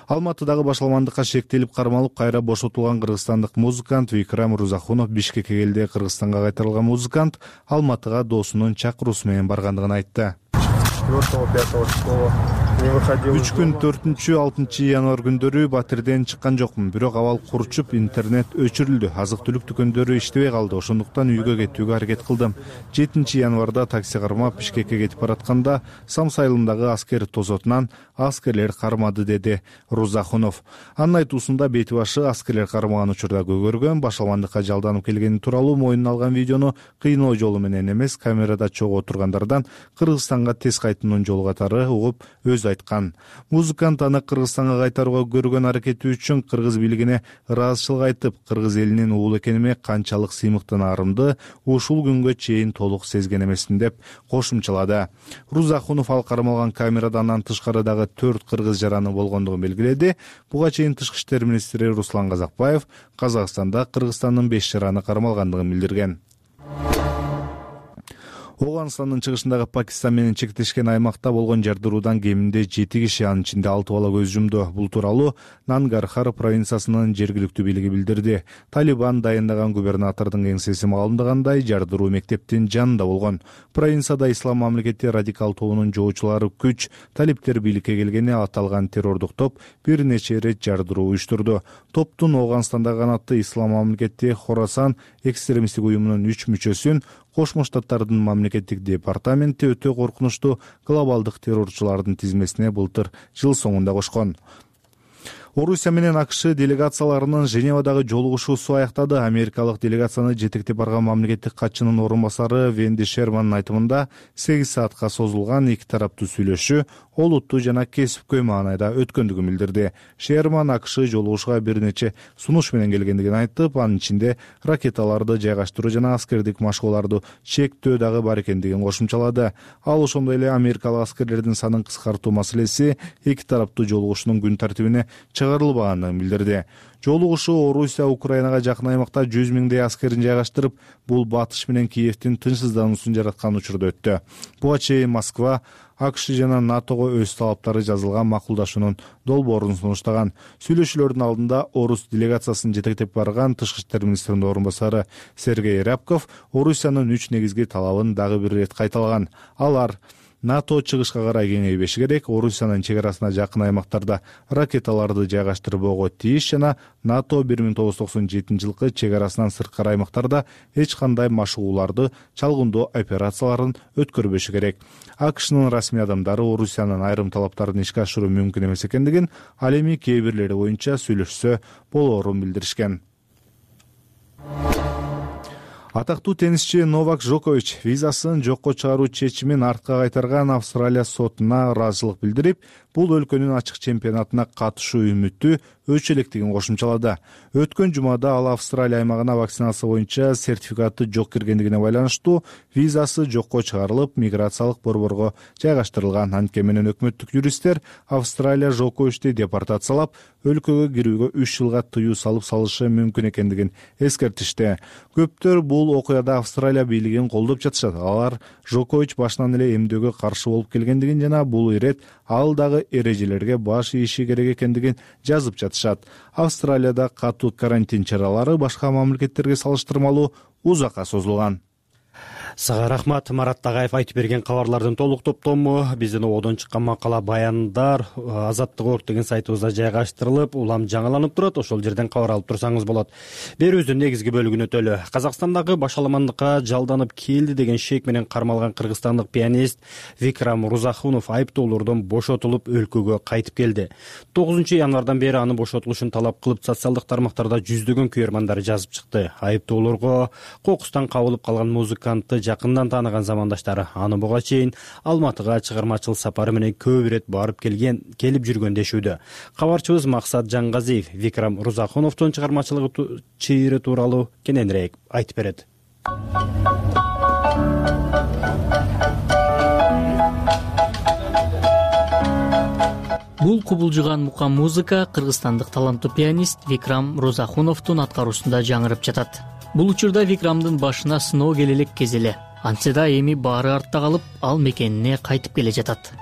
Алматыдагы башаламандыкка шектелип кармалып кайра бошотулган кыргызстандык музыкант Викрам Рузахунов Бишкекке келди. Кыргызстанга кайтарылган музыкант Алматыга досунун чакыруусу менен баргандыгын айтты. 4-5 числа не выходил. 3 күн 4-6 январ күндөрү батирден чыккан жокмун, бирок абал курчуп, интернет өчүрүлдү. Азык-түлүк дүкөндөрү иштебей калды. Ошондуктан үйгө кетүүгө аракет кылдым. 7 январда такси кармап Бишкекке кетип баратканда Самсайылындагы аскер тозотунан аскерлер кармады, деди Рузахунов. Анын айтуусунда бети башы аскерлер кармаган учурда көгөргөн, башаламандыкка жалданып келгени тууралуу мойнуна алган видеону кыйноо жолу менен эмес, камерада чогуу отургандардан Кыргызстанга тез кайтуунун жолу катары угуп өз айткан. Музыкант аны Кыргызстанга кайтарууга көргөн аракети үчүн кыргыз бийлигине ыраазычылык айтып, кыргыз элинин уулу экениме канчалык сыймыктанаарымды ушул күнгө чейин толук сезген эмесмин деп кошумчалады. Рузахунов ал кармалган камерадан тышкарыдагы 4 кыргыз жараны болгондугун белгиледи. Буга чейин Тышкы иштер министри Руслан Казакбаев Казакстанда Кыргызстандын 5 жараны кармалгандыгын билдирген. Оганстандын чыгышындагы Пакистан менен чектешкен аймакта болгон жардыруудан кеминде 7 киши, анын ичинде 6 бала көз жумду. Бул тууралуу Нангархар провинциясынын жергиликтүү бийлиги билдирди. Талибан дайындаган губернатордун кеңсеси маалымдагандай, жардыруу мектептин жанында болгон. Провинцияда Ислам мамлекети радикал тобунун жоочулары күч талиптер бийликке келгени аталган террордук топ бир нече ирет жардыруу уюштурду. Топтун Оганстандагы канаты Ислам мамлекети Хорасан экстремисттик уюмунун 3 мүчөсүн Кошмо Штаттардын мамлекеттик департаменти өтө коркунучтуу глобалдык террорчулардын тизмесине былтыр жыл соңунда кошкон. Орусия менен АКШ делегацияларынын Женевадагы жолугушуусу аяктады. Америкалык делегацияны жетектеп барган мамлекеттик катчынын орун басары Венди Шермандын айтымында 8 саатка созулган эки тараптуу сүйлөшүү олуттуу жана кесипкөй маанайда өткөндүгүн билдирди. Шерман АКШ жолугушууга бир нече сунуш менен келгендигин айтып, анын ичинде ракеталарды жайгаштыруу жана аскердик машыгууларды чектөө дагы бар экендигин кошумчалады. Ал ошондой эле америкалык аскерлердин санын кыскартуу маселеси эки тараптуу жолугушуунун күн тартибине чыгарылбаганын билдирди. Жолугушуу Орусия Украинага жакын аймакта 100 миңдей аскерин жайгаштырып, бул батыш менен Киевдин тынчсыздануусун жараткан учурда өттү. Буга чейин Москва АКШ жана НАТОго өз талаптары жазылган макулдашуунун долбоорун сунуштаган. Сүйлөшүүлөрдүн алдында Орус делегациясын жетектеп барган Тышкы иштер министринин орун басары Сергей Рябков Орусиянын 3 негизги талабын дагы бир ирет кайталаган. Алар: НАТО чыгышка карай кеңейбеши керек, Орусиянын чек арасына жакын аймактарда ракеталарды жайгаштырбоого тийиш жана НАТО 1997-жылкы чек арасынан сырткары аймактарда эч кандай машыгууларды, чалгындоо операцияларын өткөрбөшү керек. АКШнын расмий адамдары Орусиянын айрым талаптарын ишке ашыруу мүмкүн эмес экендигин, ал эми кээ бирлери боюнча сүйлөшсө болоорун билдиришкен. Атактуу теннисчи Новак Джокович визасын жокко чыгаруу чечимин артка кайтарган Австралия сотуна ыраазычылык билдирип, бул өлкөнүн ачык чемпионатына катышуу үмүтү өчө электигин кошумчалады. Өткөн жумада ал Австралия аймагына вакцинация боюнча сертификаты жок киргендигине байланыштуу визасы жокко чыгарылып, миграциялык борборго жайгаштырылган. Анткени менен өкмөттүк юристтер Австралия Джоковичти депортациялап, өлкөгө кирүүгө 3 жылга тыюу салып салышы мүмкүн экендигин эскертишти. Көптөр бул окуяда Австралия бийлигин колдоп жатышат. Алар Джокович башынан эле эмдөөгө каршы болуп келгендигин жана бул ирет ал дагы эрежелерге баш ийиши керек экендигин жазып жатышат. Австралияда катуу карантин чаралары башка мамлекеттерге салыштырмалуу узакка созулган. Сага рахмат. Марат Тагаев айтып берген кабарлардын толук топтому биздин ободон чыккан макала баяндар Азаттык орг деген сайтыбызда жайгаштырылып, улам жаңыланып турат. Ошол жерден кабар алып турсаңыз болот. Берүүбүздүн негизги бөлүгүн өтөлү. Казакстандагы башаламандыкка жалданып келди деген шек менен кармалган кыргызстандык пианист Викрам Рузахунов айыптоолордон бошотулуп, өлкөгө кайтып келди. 9 январдан бери анын бошотулушун талап кылып, социалдык тармактарда жүздөгөн күйөрмандар жазып чыкты. Айыптоолорго кокустан кабылып калган музыкантты жакындан тааныган замандаштары аны буга чейин Алматыга чыгармачыл сапары менен көп ирет барып келип жүргөн дешүүдө. Кабарчыбыз Максат Жаңгазиев Викрам Рузахуновдун чыгармачылыгы чыйыры тууралуу кененирээк айтып берет. Бул кубулжуган мукам музыка кыргызстандык таланттуу пианист Викрам Рузахуновдун аткаруусунда жаңырып жатат. Бул учурда Викрамдын башына сыноо келе элек кез эле. Антсе да эми баары артта калып, ал мекенине кайтып келе жатат.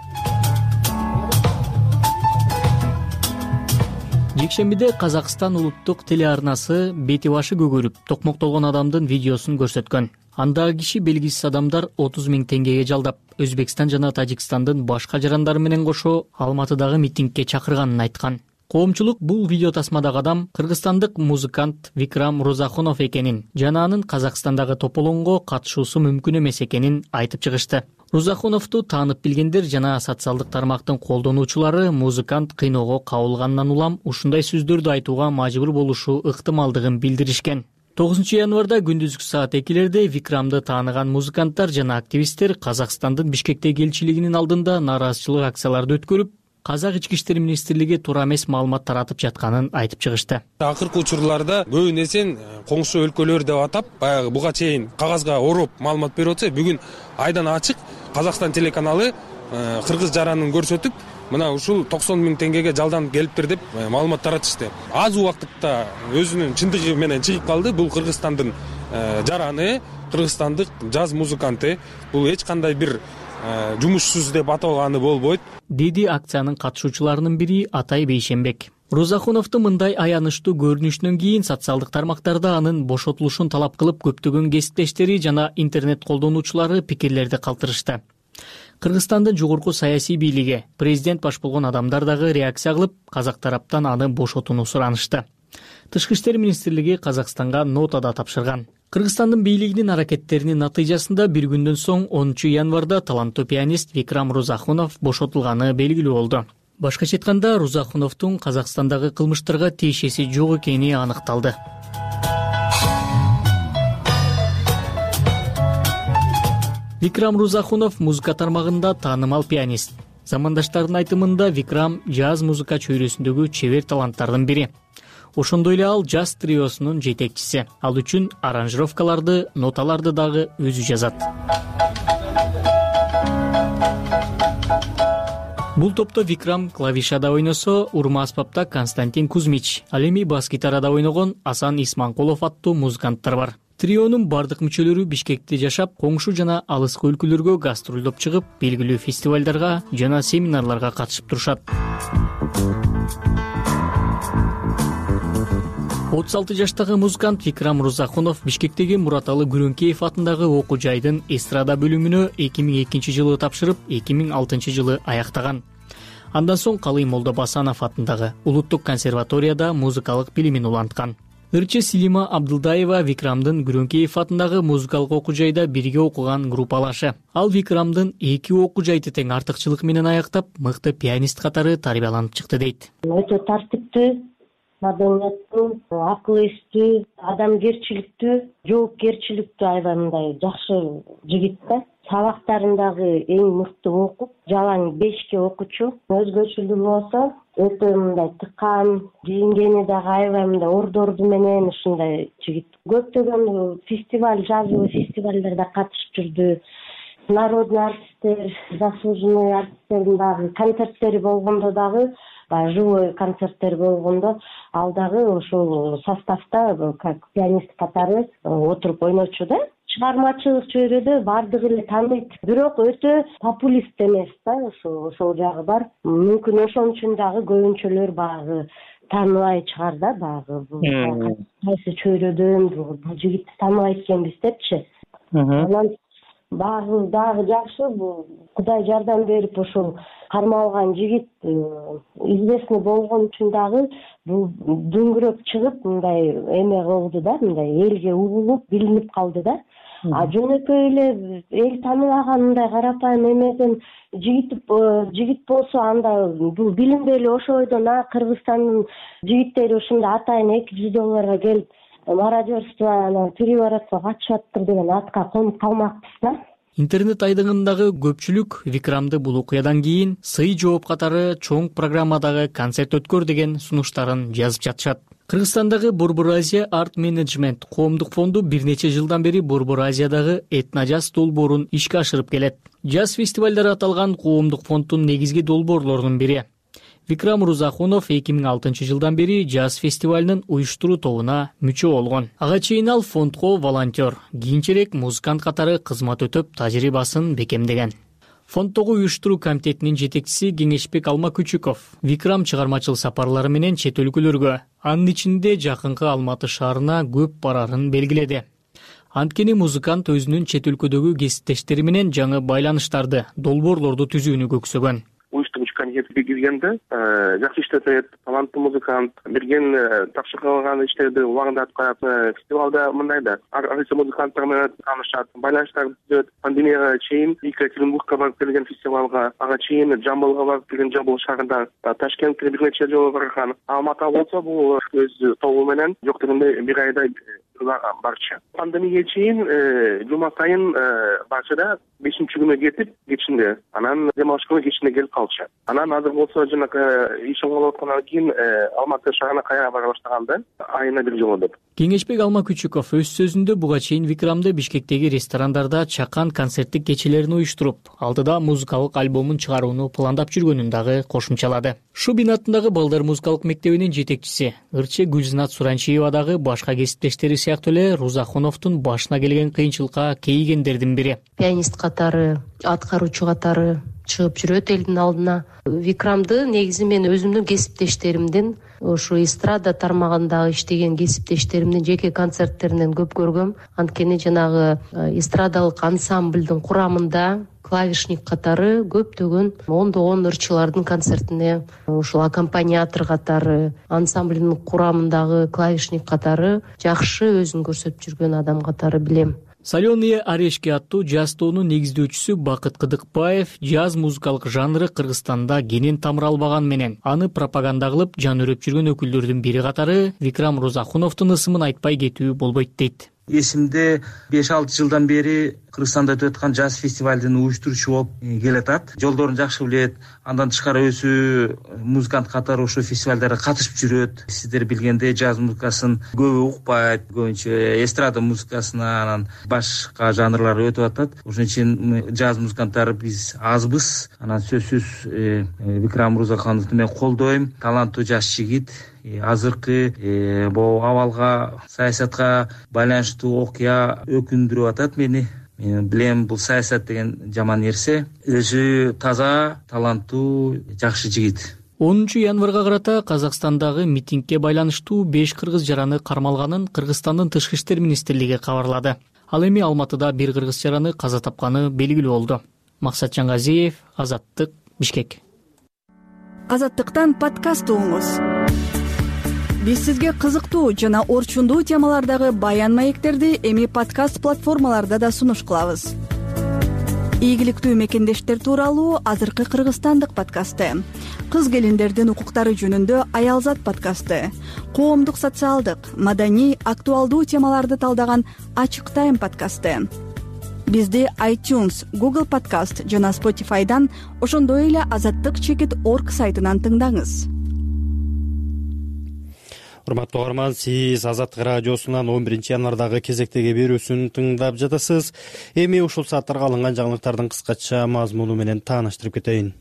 Жекшембиде Казакстан улуттук телеарнасы бети башы көгөрүп, токмоктолгон адамдын видеосун көрсөткөн. Андагы киши белгисиз адамдар 30 000 теңгеге жалдап, Өзбекстан жана Тажикстандын башка жарандары менен кошо Алматыдагы митингге чакырганын айткан. Коомчулук бул видео тасмадагы адам кыргызстандык музыкант Викрам Рузахунов экенин жана анын Казакстандагы тополоңго катышуусу мүмкүн эмес экенин айтып чыгышты. Рузахуновду таанып билгендер жана социалдык тармактын колдонуучулары музыкант кыйноого кабылгандан улам ушундай сөздөрдү айтууга мажбур болушу ыктымалдыгын билдиришкен. 9 январда күндүзгү саат 2-лерде Викрамды тааныган музыканттар жана активисттер Казакстандын Бишкектеги элчилигинин алдында нааразычылык акцияларды өткөрүп, Казак ички иштер министрлиги туура эмес маалымат таратып жатканын айтып чыгышты. Акыркы учурларда көбүнесе коңшу өлкөлөр деп атап, баягы буга чейин кагазга ороп маалымат берип атса, бүгүн айдан ачык Казакстан телеканалы кыргыз жаранын көрсөтүп, мына ушул 90 000 теңгеге жалданып келиптир деп маалымат таратышты. Аз убакытта өзүнүн чындыгы менен чыгып калды. Бул Кыргызстандын жараны, кыргызстандык жаз музыканты. Бул эч кандай бир жумушсуз деп аталганы болбойт, деди акциянын катышуучуларынын бири Атай Бейшембек. Рузахуновдун мындай аянычтуу көрүнүшүнөн кийин социалдык тармактарда анын бошотулушун талап кылып, көптөгөн кесиптештери жана интернет колдонуучулары пикирлерди калтырышты. Кыргызстандын жогорку саясий бийлиги, президент баш болгон адамдар дагы реакция кылып, казак тараптан аны бошотууну суранышты. Тышкы иштер министрлиги Казакстанга нота да тапшырган. Кыргызстандын бийлигинин аракеттеринин натыйжасында бир күндөн соң 10 январда таланттуу пианист Викрам Рузахунов бошотулганы белгилүү болду. Башкача айтканда, Рузахуновдун Казакстандагы кылмыштарга тиешеси жок экени аныкталды. Викрам Рузахунов музыка тармагында таанымал пианист. Замандаштардын айтымында Викрам жаз музыка чөйрөсүндөгү чебер таланттардын бири. Ошондой эле ал жаз триосунун жетекчиси. Ал үчүн аранжировкаларды, ноталарды дагы өзү жазат. Бул топто Викрам клавишада ойносо, урма аспапта Константин Кузьмич, ал эми бас-гитарада ойногон Асан Исманкулов аттуу музыканттар бар. Трионун бардык мүчөлөрү Бишкекте жашап, коңшу жана алыскы өлкөлөргө гастролдоп чыгып, белгилүү фестивалдарга жана семинарларга катышып турушат. 36 жаштагы музыкант Викрам Рузахунов Бишкектеги Мураталы Күрөңкеев атындагы окуу жайдын эстрада бөлүмүнө 2002 жылы тапшырып, 2006 жылы аяктаган. Андан соң Калый Молдобасанов атындагы Улуттук консерваторияда музыкалык билимин уланткан. Ырчы Силима Абдылдаева Викрамдын Күрөңкеев атындагы музыкалык окуу жайда бирге окуган группалашы. Ал Викрамдын 2 окуу жайды тең артыкчылык менен аяктап, мыкты пианист катары тарбияланып чыкты дейт. Өтө тартиптүү, маданияттуу, акыл эстүү, адамгерчиликтүү, жоопкерчиликтүү аябай мындай жакшы жигит да. Сабактарындагы эң мыкты окуп, жалаң 5ке окучу, өзгөчөлүгү болсо өтө мындай тыккан, кийингени дагы аябай мындай ордорду менен ушундай жигит. Көптөгөн фестиваль, жазуу фестивалдарда катышып жүрдү. Народный артисттер, заслуженный артисттердин дагы концерттери болгондо дагы, живой концерттер болгондо ал дагы ошол составда как пианист катары отуруп ойночу да. Чыгармачылык чөйрөдө бардыгы эле тааныйт, бирок өтө популист эмес да, ошол жагы бар. Мүмкүн ошон үчүн дагы көбүнчөлөр багы тааныбай чыгар да, багы кайсы чөйрөдөн бул жигитти тааныбайт экенбиз депчи. Анан багы дагы жакшы, бул Кудай жардам берип ошол кармалган жигит известный болгон үчүн дагы бул дөңгөрөп чыгып мындай эме кылды да, мындай элге угулуп, билинип калды да. А жөнөкөй эле эл тааныбаган мындай карапайым эмеден жигит болсо анда бул билинбей эле ошо бойдон Кыргызстандын жигиттери ушундай атайын $200 келип мародерство, переворотко катышып атыптыр деген атка конуп калмакпыз да. Интернет айдыңындагы көпчүлүк Викрамды бул окуядан кийин сый жооп катары чоң программадагы концерт өткөр деген сунуштарын жазып жатышат. Кыргызстандагы Борбор Азия Арт Менеджмент коомдук фонду бир нече жылдан бери Борбор Азиядагы этно-жаз долбоорун ишке ашырып келет. Жаз фестивалдары аталган коомдук фонддун негизги долбоорлорунун бири. Викрам Рузахунов 2006 жылдан бери жаз фестивалынын уюштуруу тобуна мүчө болгон. Ага чейин ал фондго волонтер, кийинчерээк музыкант катары кызмат өтөп, тажрыйбасын бекемдеген. Фонддогу уюштуруу комитетинин жетекчиси Кеңешбек Алмакүчүков Викрам чыгармачыл сапарлары менен чет өлкөлөргө, анын ичинде жакынкы Алматы шаарына көп барарын белгиледи. Анткени музыкант өзүнүн чет өлкөдөгү кесиптештери менен жаңы байланыштарды, долбоорлорду түзүүнү көксөгөн. Уюштуруучу комитетке киргенде жакшы иштетет, таланттуу музыкант, берген тапшырылган иштерди убагында аткарат. Фестивалда мындай да ар кайсы музыканттар менен таанышат, байланыштарды түзөт. Пандемияга чейин Екатеринбургка барып келген фестивалга, ага чейин Жамбылга барып келген, Жамбыл шаарында, Ташкентке бир нече жолу барган. Алматы болсо бул өз тобу менен жок дегенде бир айда барчу. Пандемияга чейин жума сайын барчада 5-күнү кетип, кечинде, анан дем алыш күнү кечинде келип калчу. Анан азыр болсо жанагы ишин кылып аткандан кийин Алматы шаарына кайра бара баштаганда айына бир жолу деп. Кеңешбек Алмакүчүков өз сөзүндө буга чейин Викрамды Бишкектеги ресторандарда чакан концерттик кечелерин уюштуруп, алдыда музыкалык альбомун чыгарууну пландап жүргөнүн дагы кошумчалады. Шубин атындагы балдар музыкалык мектебинин жетекчиси Ырчы Гүлзинат Суранчиева дагы башка кесиптештери сыяктуу эле Рузахуновдун башына келген кыйынчылыкка кейигендердин бири. Пианист катары, аткаруучу катары чыгып жүрөт элдин алдына. Викрамды негизи мен өзүмдүн кесиптештеримдин, ошо эстрада тармагында иштеген кесиптештеримдин жеке концерттеринен көп көргөм. Анткени жанагы эстрадалык ансамблдын курамында клавишник катары көптөгөн ондогон ырчылардын концертине ушул аккомпаниатор катары, ансамблдын курамындагы клавишник катары жакшы өзүн көрсөтүп жүргөн адам катары билем. Соленые орешки аттуу жаз тоонун негиздөөчүсү Бакыт Кыдыкбаев жаз музыкалык жанры Кыргызстанда кенен тамыр албаган менен аны пропаганда кылып жан өрөп жүргөн өкүлдөрдүн бири катары Викрам Рузахуновдун ысымын айтпай кетүү болбойт дейт. эсимде 5-6 жылдан бери Кыргызстанда өтүп аткан жаз фестивалдын уюштуруучу болуп келатат. Жолдорун жакшы билет. Андан тышкары өзү музыкант катары ошол фестивалдарга катышып жүрөт. Сиздер билгендей жаз музыкасын көбү укпайт. Көбүнчө эстрада музыкасына, анан башка жанрлар өтүп атат. Ошон үчүн жаз музыканттары биз азбыз. Анан сөзсүз Викрам Мырзахановду мен колдойм. Таланттуу жаш жигит. Азыркы бул абалга, саясатка байланыштуу окуя өкүндүрүп атат мени. Мен билем, бул саясат деген жаман нерсе. Өзү таза, таланттуу, жакшы жигит. 10 январга карата Казакстандагы митингге байланыштуу 5 кыргыз жараны кармалганын Кыргызстандын Тышкы иштер министрлиги кабарлады. Ал эми Алматыда бир кыргыз жараны каза тапканы белгилүү болду. Максат Жаңгазиев, Азаттык, Бишкек. Азаттыктан подкаст угуңуз. Биз сизге кызыктуу жана орчундуу темалардагы баян маектерди эми подкаст платформаларда да сунуш кылабыз. Ийгиликтүү мекендештер тууралуу азыркы кыргызстандык подкасты, кыз келиндердин укуктары жөнүндө Аялзат подкасты, коомдук, социалдык, маданий, актуалдуу темаларды талдаган Ачык Тайм подкасты. Бизди iTunes, Google Podcast жана Spotify'дан, ошондой эле azattik.org сайтынан тыңдаңыз. Урматтуу угарман, сиз Азаттык радиосунан 11 январдагы кезектеги берүүсүн тыңдап жатасыз. Эми ушул сааттарга алынган жаңылыктардын кыскача мазмуну менен тааныштырып кетейин.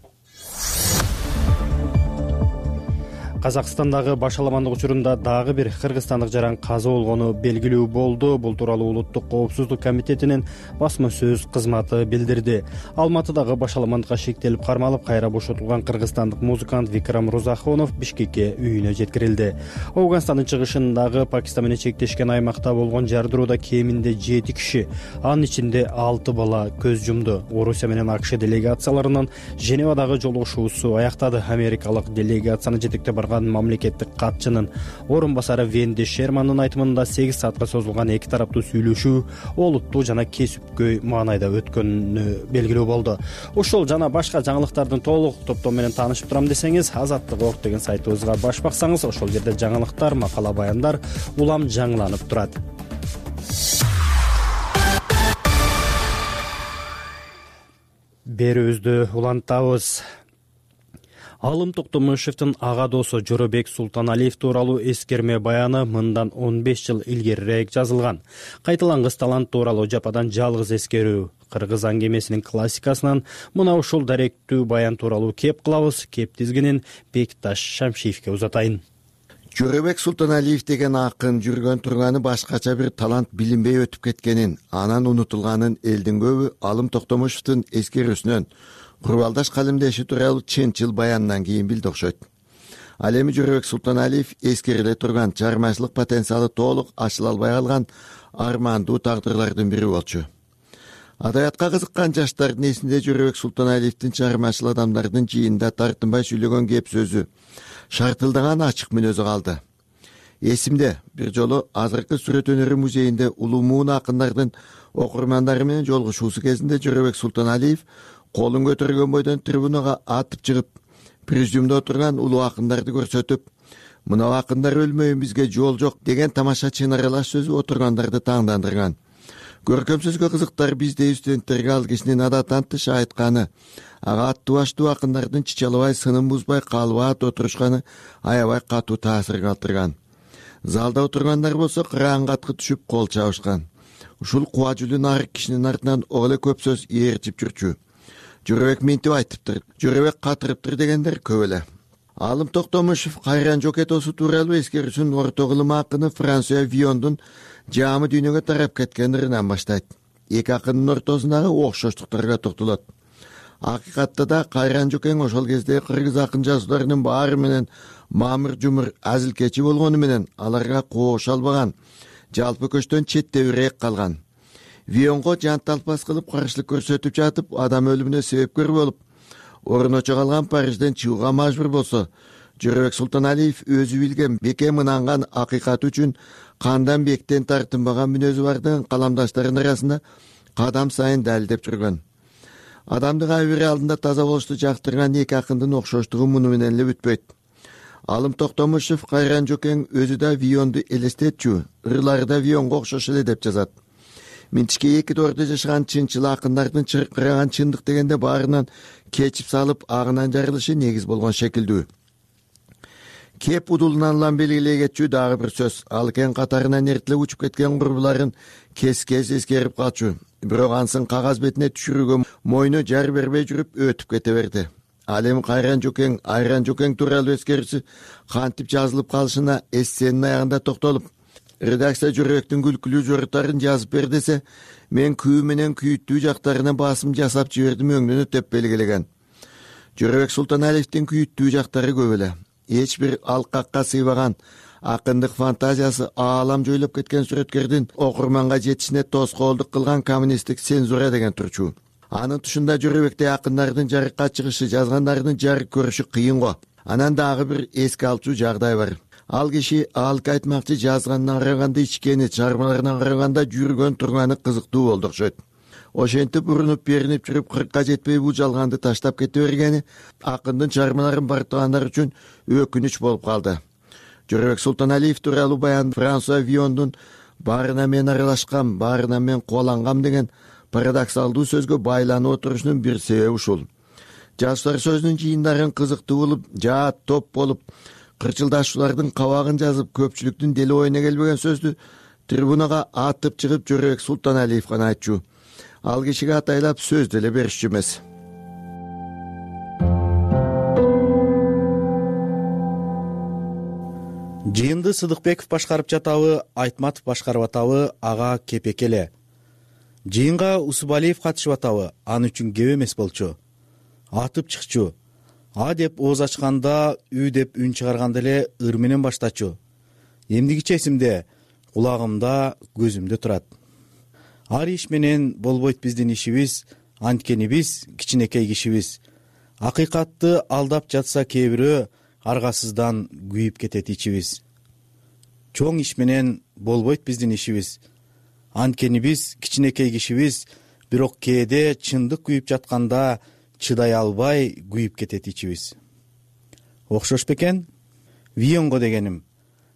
Казакстандагы башаламандык учурунда дагы бир кыргызстандык жаран каза болгону белгилүү болду. Бул тууралуу Улуттук коопсуздук комитетинин басма сөз кызматы билдирди. Алматыдагы башаламандыкка шектелип кармалып, кайра бошотулган кыргызстандык музыкант Викрам Мырзахонов Бишкекке үйүнө жеткирилди. Ауганстандын чыгышындагы Пакистан менен чектешкен аймакта болгон жардырууда кеминде 7 киши, анын ичинде 6 бала көз жумду. Орусия менен АКШ делегацияларынын Женевадагы жолугушуусу аяктады. Америкалык делегацияны жетектеп барган мамлекеттик катчынын орун басары Венди Шермандын айтымында 8 саатка созулган эки тараптуу сүйлөшүү олуттуу жана кесипкөй маанайда өткөнү белгилүү болду. Ушул жана башка жаңылыктардын толук топтому менен таанышып турам десеңиз, Азаттык.org деген сайтыбызга баш баксаңыз, ошол жерде жаңылыктар, макала, баяндар улам жаңыланып турат. Берүүбүздү улантабыз. Алым Токтомушевдин ага досу Жоробек Султаналиев тууралуу эскерме баяны мындан 15 жыл илгерирээк жазылган. Кайталангыс талант тууралуу жападан жалгыз эскерүү. Кыргыз аңгемесинин классикасынан мына ушул даректүү баян тууралуу кеп кылабыз. Кеп тизгинин Бекташ Шамшиевке узатайын. Жоробек Султаналиев деген акын жүргөн турганы башкача бир талант билинбей өтүп кеткенин, анан унутулганын элдин көбү Алым Токтомушевдин эскерүүсүнөн курбалдаш калемдеши тууралуу чынчыл баянынан кийин билди окшойт. Ал эми Жоробек Султаналиев эскериле турган чыгармачылык потенциалы толук ачыла албай калган армандуу тагдырлардын бири болчу. Адабиятка кызыккан жаштардын эсинде Жоробек Султаналиевдин чыгармачыл адамдардын жыйында тартынбай сүйлөгөн кеп сөзү, шартылдаган ачык мүнөзү калды. Эсимде бир жолу азыркы сүрөт өнөрү музейинде улуу акындардын окурмандары менен жолугушуусу кезинде Жоробек Султаналиев колун көтөргөн бойдон трибунага атып чыгып, президиумда отурган улуу акындарды көрсөтүп, мына акындар өлмөйүн, бизге жол жок деген тамаша чын аралаш сөзү отургандарды таңдандырган. Көркөм сөзгө кызыктар биздей студенттерге ал кишинин адаттан тыш айтканы, ага аттуу баштуу акындардын чычалабай, сынын бузбай, калбаат отурушканы аябай катуу таасир калтырган. Залда отургандар болсо кыраан каткы түшүп кол чабышкан. Ушул куба жүлү нарык кишинин артынан ого эле көп сөз ээрчип жүрчү. Жоробек минтип айтыптыр, Жоробек катырыптыр дегендер көп эле. Алым Токтомушев Кайран Жокетосу тууралуу эскерүүсүн орто кылым акыны Франсуа Виондун жаамы дүйнөгө тарап кеткен ырынан баштайт. Эки акындын ортосундагы окшоштуктарга токтолот. Акыйкатта да Кайран Жокең ошол кезде кыргыз акын жазууларынын баары менен мамыр жумур азилкечи болгону менен аларга кооша албаган, жалпы көчтөн четтебирээк калган. Вионго жанталпас кылып каршылык көрсөтүп жатып, адам өлүмүнө себепкер болуп, орночо калган Парижден чыгууга мажбур болсо, Жоробек Султаналиев өзү билген беке мынанган акыйкат үчүн кандан бектен тартынбаган мүнөзү бардыгын каламдаштарынын арасында кадам сайын далилдеп жүргөн. Адамдын абийири алдында таза болушту жактырган эки акындын окшоштугу муну менен эле бүтпөйт. Алым Токтомушев Кайран Жокең өзү да Вионду элестетчү, ырлары да Вионго окшош эле деп жазат. Минтишке эки доордо жашаган чынчыл акындардын чыркыраган чындык дегенде баарынан кечип салып агынан жарылышы негиз болгон шекилдүү. Кеп удулунан улам белгилей кетчү дагы бир сөз. Ал экен катарынан эртелеп учуп кеткен курбуларын кес-кес эскерип калчу. Бирок ансын кагаз бетине түшүрүүгө мойну жар бербей жүрүп өтүп кете берди. Ал эми Кайран Жокең, Айран Жокең тууралуу эскерүүсү кантип жазылып калышына эссенин аягында токтолуп, редакция жүрөктүн күлкүлүү жоруттарын жазып бер десе, мен күү менен күйүттүү жактарына басым жасап жибердим өңдөнөт деп белгилеген. Жөрөбек Султаналиевдин күйүттүү жактары көп эле. Эч бир алкакка сыйбаган акындык фантазиясы аалам жойлоп кеткен сүрөткөрдүн окурманга жетишине тоскоолдук кылган коммунисттик цензура деген турчу. Анын тушунда Жөрөбектей акындардын жарыкка чыгышы, жазгандардын жарык көрүшү кыйын го. Анан дагы бир эске алчу жагдай бар. Ал киши алк айтмакчы жазганына караганда ичкени, чыгармаларына караганда жүргөн турганы кызыктуу болду окшойт. Ошентип урунуп беринип жүрүп 40ка жетпей бул жалганды таштап кете бергени акындын чыгармаларын бартыгандар үчүн өкүнүч болуп калды. Жөрөбек Султаналиев тууралуу баян Франсуа Виондун баарына мен аралашкам, баарына мен кубалангам деген парадоксалдуу сөзгө байланып отурушунун бир себеби ушул. Жаштар сөзүнүн жыйындарын кызыктуу болуп, жаат топ болуп, кырчылдашуулардын кабагын жазып, көпчүлүктүн дели оюна келбеген сөздү трибунага атып чыгып Жөрөбек Султаналиев гана айтчу. Ал кишиге атайлап сөз деле беришчү эмес. Жыйынды Сыдыкбеков башкарып жатабы, Айтматов башкарып атабы, ага кепек эле. Жыйынга Усубалиев катышып атабы, аны үчүн кеп эмес болчу. Атып чыкчу. А деп ооз ачканда, үй деп үн чыгарганда эле ыр менен баштачу. Эмдигиче эсимде, кулагымда, көзүмдө турат. Ар иш менен болбойт биздин ишибиз, анткени биз кичинекей кишибиз. Акыйкатты алдап жатса кээ бирөө, аргасыздан күйүп кетет ичибиз. Чоң иш менен болбойт биздин ишибиз, анткени биз кичинекей кишибиз, бирок кээде чындык күйүп жатканда чыдай албай күйүп кетет ичибиз. Окшош бекен? Вионго дегеним.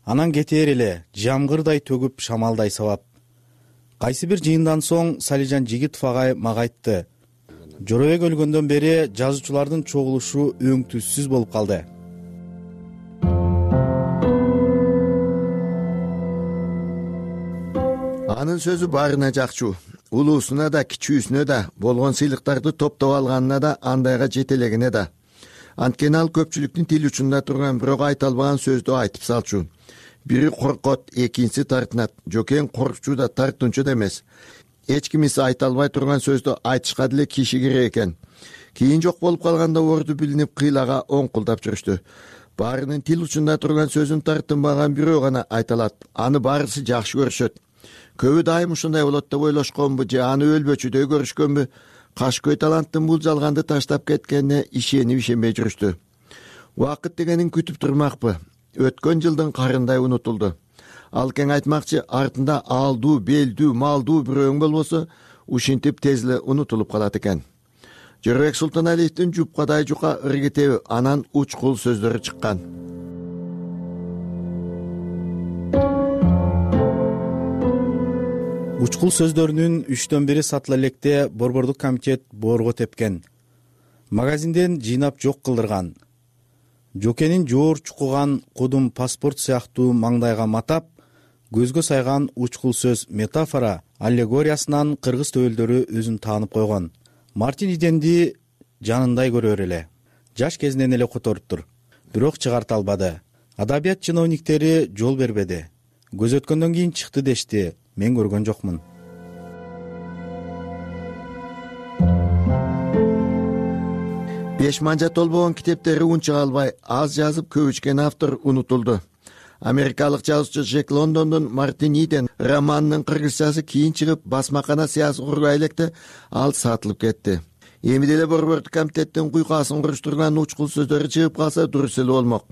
Анан кетээр эле, жамгырдай төгүп, шамалдай сабап. Кайсы бир жыйындан соң Салижан Жигитов агай мага айтты. Жөрөбек өлгөндөн бери жазуучулардын чогулушу өң-түссүз болуп калды. Анын сөзү баарына жакчу. Улуусуна да, кичүүсүнө да, болгон сыйлыктарды топтоп алганына да, андайга жетелегине да. Анткени ал көпчүлүктүн тил учунда турган, бирок айта албаган сөздү айтып салчу. Бири коркот, экинчиси тартынат. Жокең коркчу да, тартынчу да эмес. Эч кимиси айта албай турган сөздү айтышка деле киши керек экен. Кийин жок болуп калганда орду билинип кыйлага оңкулдап жүрүштү. Баарынын тил учунда турган сөзүн тартынбаган бирөө гана айта алат. Аны баарысы жакшы көрүшөт. Көбү дайым ушундай болот деп ойлошконбу же аны өлбөчүдөй көрүшкөнбү? Кашкөй таланттын бул жалганды таштап кеткенине ишенип ишенбей жүрүштү. Убакыт дегенин күтүп турмакпы. Өткөн жылдын карындай унутулду. Ал кең айтмакчы, артында алдуу, белдүү, малдуу бирөөң болбосо, ушинтип тез эле унутулуп калат экен. Жөрөбек Султаналиевдин жупкадай жука ыргетеби, анан учкул сөздөрү чыккан. Учкул сөздөрүнүн 3/1 сатыла электе Борбордук комитет боорго тепкен. Магазинден жыйнап жок кылдырган. Жокенин жоор чукуган кудум паспорт сыяктуу маңдайга матап, көзгө сайган учкул сөз метафора аллегориясынан кыргыз төбөлдөрү өзүн таанып койгон. Мартин Иденди жанындай көрөр эле. Жаш кезинен эле которуптур, бирок чыгарта албады. Адабият чиновниктери жол бербеди. Көз өткөндөн кийин чыкты дешти. Мен көргөн жокмун. Беш манжа толбогон китептери унча албай, аз жазып көп ичкен автор унутулду. Америкалык жазуучу Джек Лондондун Мартин Иден романынын кыргызчасы кийин чыгып, басмакана сыясы кургай электе ал сатылып кетти. Эми деле Борбордук комитеттин куйкасын куруштурган учкул сөздөрү чыгып калса дурус эле болмок.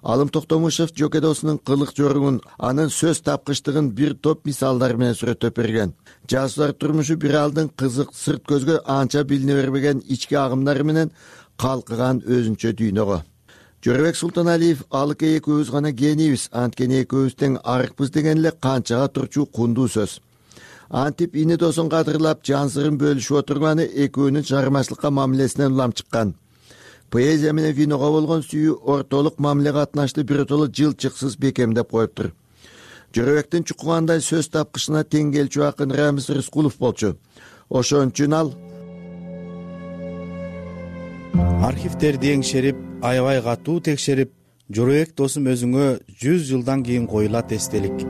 Алым Токтомушев жокедосунун кылык жоругун, анын сөз тапкычтыгын бир топ мисалдар менен сүрөттөп берген. Жазуулар турмушу бир алдын кызык, сырт көзгө анча билине бербеген ички агымдары менен калкыган өзүнчө дүйнөгө. Жорабек Султаналиев алык экөөбүз гана кенийбиз, анткени экөөбүз тең арыкпыз деген эле канчага турчу кундуу сөз. Антип ини досун кадырлап жан сырын бөлүшүп отурганы экөөнүн чыгармачылыкка мамилесинен улам чыккан. Поэзия менен виного болгон сүйүү ортолук мамиле катнашты биротоло жылчыксыз бекемдеп коюптур. Жорабектин чукугандай сөз тапкычына тең келчү акын Рамиз Рыскулов болчу. Ошон үчүн ал архивтерди эңшерип, аябай катуу текшерип, Жорабек досум өзүңө 100 жылдан кийин коюлат эстелик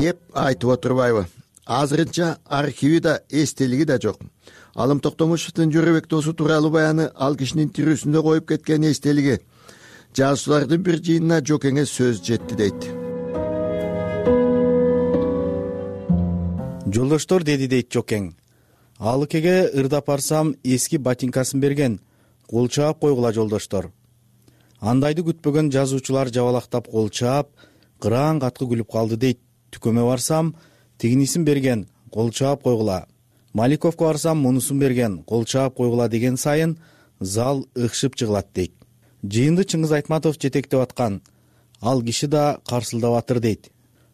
деп айтып отурбайбы? Азырынча архиви да, эстелиги да жок. Алым Токтомушевдин Жорабек досу тууралуу баяны ал кишинин тирүүсүндө коюп кеткен эстелиги. Жазуучулардын бир жыйынына Жокеңе сөз жетти дейт. Жолдоштор, деди дейт Жокең. Алыкеге ырдап барсам эски ботинкасын берген. Кол чаап койгула жолдоштор. Андайды күтпөгөн жазуучулар жабалактап кол чаап, кыраан каткы күлүп калды дейт. Түкөмө барсам тигинисин берген. Кол чаап койгула. Маликовко барсам мунусун берген. Кол чаап койгула деген сайын зал ыкшып жыгылат дейт. Жыйынды Чыңгыз Айтматов жетектеп аткан. Ал киши да карсылдап атыр дейт.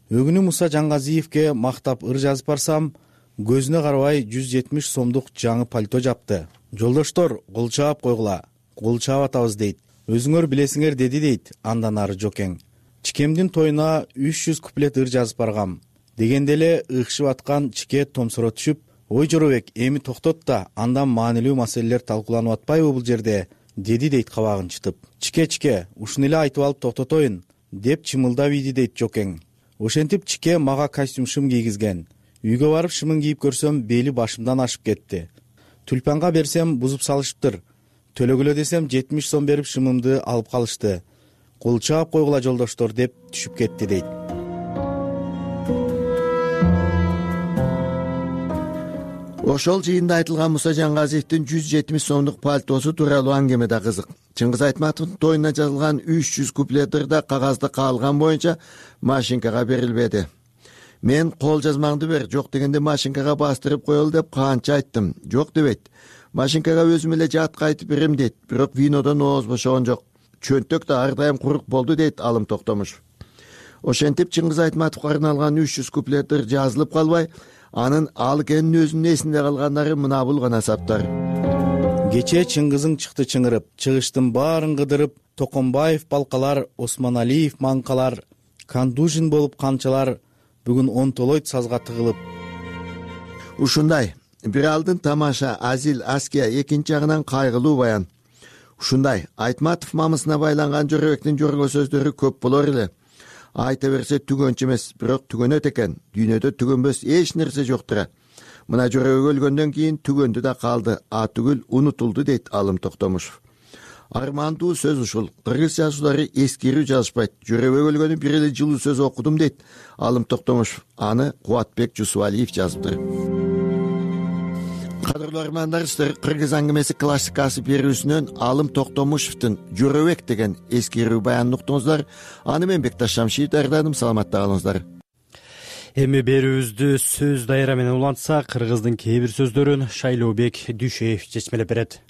Өгүнү Муса Жаңгазиевке мактап ыр жазып барсам, көзүнө карабай 170 сомдук жаңы пальто жапты. Жолдоштор, кол чаап койгула. Кол чаап атабыз дейт. Өзүңөр билесиңер, деди дейт андан ары Жокең. Чикемдин тоюна 300 куплет ыр жазып баргам. Дегенде эле ыкшып аткан Чике томсуро түшүп, ой Жорабек, эми токтот да, андан маанилүү маселелер талкууланып атпайбы бул жерде, деди дейт кабагын чытып. Чике, ушуну эле айтып алып токтотоюн, деп чымылдап ийди дейт Жокең. Ошентип Чике мага костюм шым кийгизген. Үйгө барып шымын кийип көрсөм, бели башымдан ашып кетти. Тюльпанга берсем бузуп салышыптыр. Төлөгүлө десем 70 сом берип шымымды алып калышты. Кол чаап койгула жолдоштор, деп түшүп кетти дейт. Ошол жыйында айтылган Муса Жаңгазиевдин 170 сомдук пальтосу тууралуу аңгеме да кызык. Чыңгыз Айтматовдун тоюна жазылган 300 куплет ырда кагазды каалган боюнча машинкага берилбеди. Мен кол жазмаңды бер, жок дегенде машинкага бастырып коелу деп канча айттым. Жок дебейт. Машинкага өзүм эле жатка айтып берем дейт. Бирок винодон ооз бошогон жок. Чөнтөк да ар дайым курук болду дейт Алым Токтомушев. Ошентип Чыңгыз Айтматовго арналган 300 куплет ыр жазылып калбай, анын Алыкенин өзүнүн эсинде калгандары мына бул гана саптар. Кече Чыңгызың чыкты чыңырып, чыгыштын баарын кыдырып, Токомбаев балкалар, Осмоналиев манкалар, Кандужин болуп камчалар, бүгүн онтолойт сазга тыгылып. Ушундай бир алдын тамаша, азил, аския, экинчи жагынан кайгылуу баян. Ушундай Айтматов мамысына байланган Жорабектин жорго сөздөрү көп болор эле. Айта берсе түгөнчү эмес, бирок түгөнөт экен. Дүйнөдө түгөнбөс эч нерсе жоктура. Мына Жорабек өлгөндөн кийин түгөндү да калды, түгүл унутулду дейт Алым Токтомушев. Армандуу сөз ушул. Кыргыз жазуучулары эскерүү жазышпайт. Жорабек өлгөнү бир эле жылуу сөз окудум дейт Алым Токтомушев. Аны Кубатбек Жусубалиев жазыптыр. Кадырлуу армандар, сиздер Кыргыз аңгемеси классикасы берүүсүнөн Алым Токтомушевдин Жорабек деген эскерүү баянын уктуңуздар. Аны мен Бекташ Шамшиев даярдадым. Саламатта калыңыздар. Эми берүүбүздү сөз дайра менен улантсак, кыргыздын кээ бир сөздөрүн Шайлообек Дүйшеев чечмелеп берет.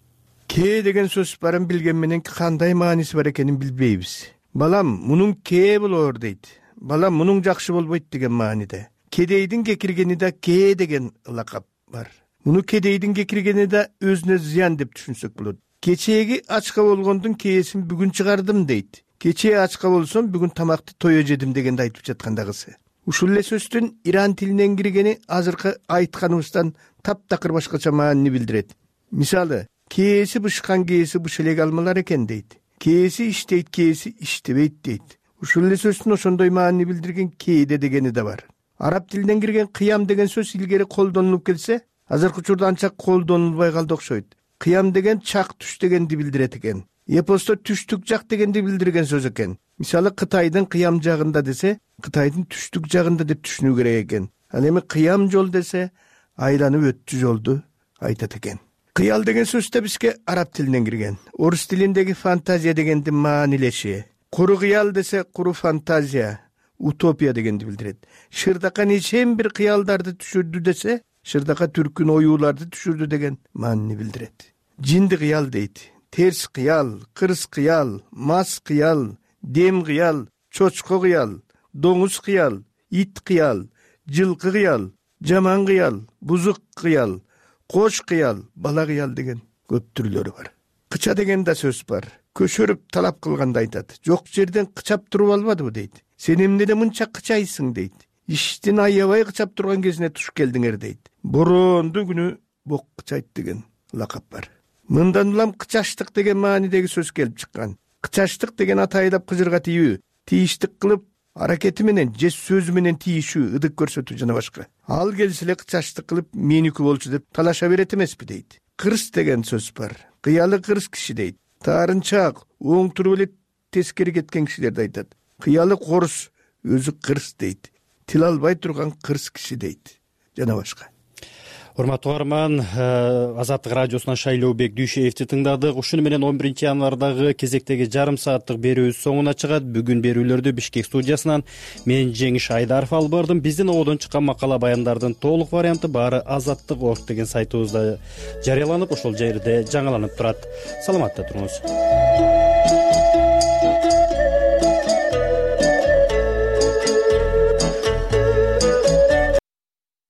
Кээ деген сөз барын билген менен кандай мааниси бар экенин билбейбиз. Балам, мунун кээ болор дейт. Балам, мунун жакшы болбойт деген мааниде. Кедейдин кекиргени да кээ деген лакап бар. Муну кедейдин кекиргени да өзүнө зыян деп түшүнсөк болот. Кечээги ачка болгондун кээсин бүгүн чыгардым дейт. Кечээ ачка болсом бүгүн тамакты тое жедим дегенди айтып жаткандагысы. Ушул эле сөздүн иран тилинен киргени азыркы айтканыбыздан таптакыр башкача маанини билдирет. Мисалы, кээси бышкан кээси быш элек алмалар экен дейт. Кээси иштейт, кээси иштебейт дейт. Ушул эле сөздүн ошондой маанини билдирген кээде дегени да бар. Араб тилинен кирген кыям деген сөз илгери колдонулуп келсе, азыркы учурда анча колдонулбай калды окшойт. Кыям деген чак түш дегенди билдирет экен. Эпосто түштүк жак дегенди билдирген сөз экен. Мисалы, Кытайдын кыям жагында десе, Кытайдын түштүк жагында деп түшүнүү керек экен. Ал эми кыям жол десе, айланып өттү жолду айтат экен. Кыял деген сөз да бизге араб тилинен кирген. Орус тилиндеги фантазия дегенди маанилеши. Куру кыял десе, куру фантазия, утопия дегенди билдирет. Шырдака нечен бир кыялдарды түшүрдү десе, Шырдака түркүн оюуларды түшүрдү деген маанини билдирет. жинди кыял дейт. Терс кыял, кырс кыял, мас кыял, дем кыял, чочко кыял, доңуз кыял, ит кыял, жылкы кыял, жаман кыял, бузук кыял, кош кыял, бала кыял деген көп түрлөрү бар. Кыча деген да сөз бар. Көшөрүп талап кылганда айтат. Жок жерден кычап туруп албадыбы дейт. Сен эмнеде мынча кычайсың дейт. Иштин аябай кычап турган кезине туш келдиңер дейт. Борондун күнү бок кычайт деген лакап бар. Мындан улам кычаштык деген маанидеги сөз келип чыккан. Кычаштык деген атайдап кыжырга тийүү, тийиштик кылып, аракети менен же сөзү менен тийишүү, ыдык көрсөтүү жана башка. Ал келсе эле кычаштык кылып, меники болчу деп талаша берет эмеспи дейт. Кырс деген сөз бар. Кыялы кырс киши дейт. Таарынчаак, оң туруп эле тескери кеткен кишилерди айтат. Кыялы корус, өзү кырс дейт. Тил албай турган кырс киши дейт. Жана башка. Урматтуу угарман, Азаттык радиосунан Шайлообек Дүйшеевди тыңдадык. Ушуну менен 11 январдагы кезектеги жарым сааттык берүүбүз соңуна чыгат. Бүгүн берүүлөрдү Бишкек студиясынан мен Жеңиш Айдаров алып бардым. Биздин ободон чыккан макала баяндардын толук варианты баары Азаттык.org деген сайтыбызда жарыяланып, ошол жерде жаңыланып турат. Саламатта туруңуз.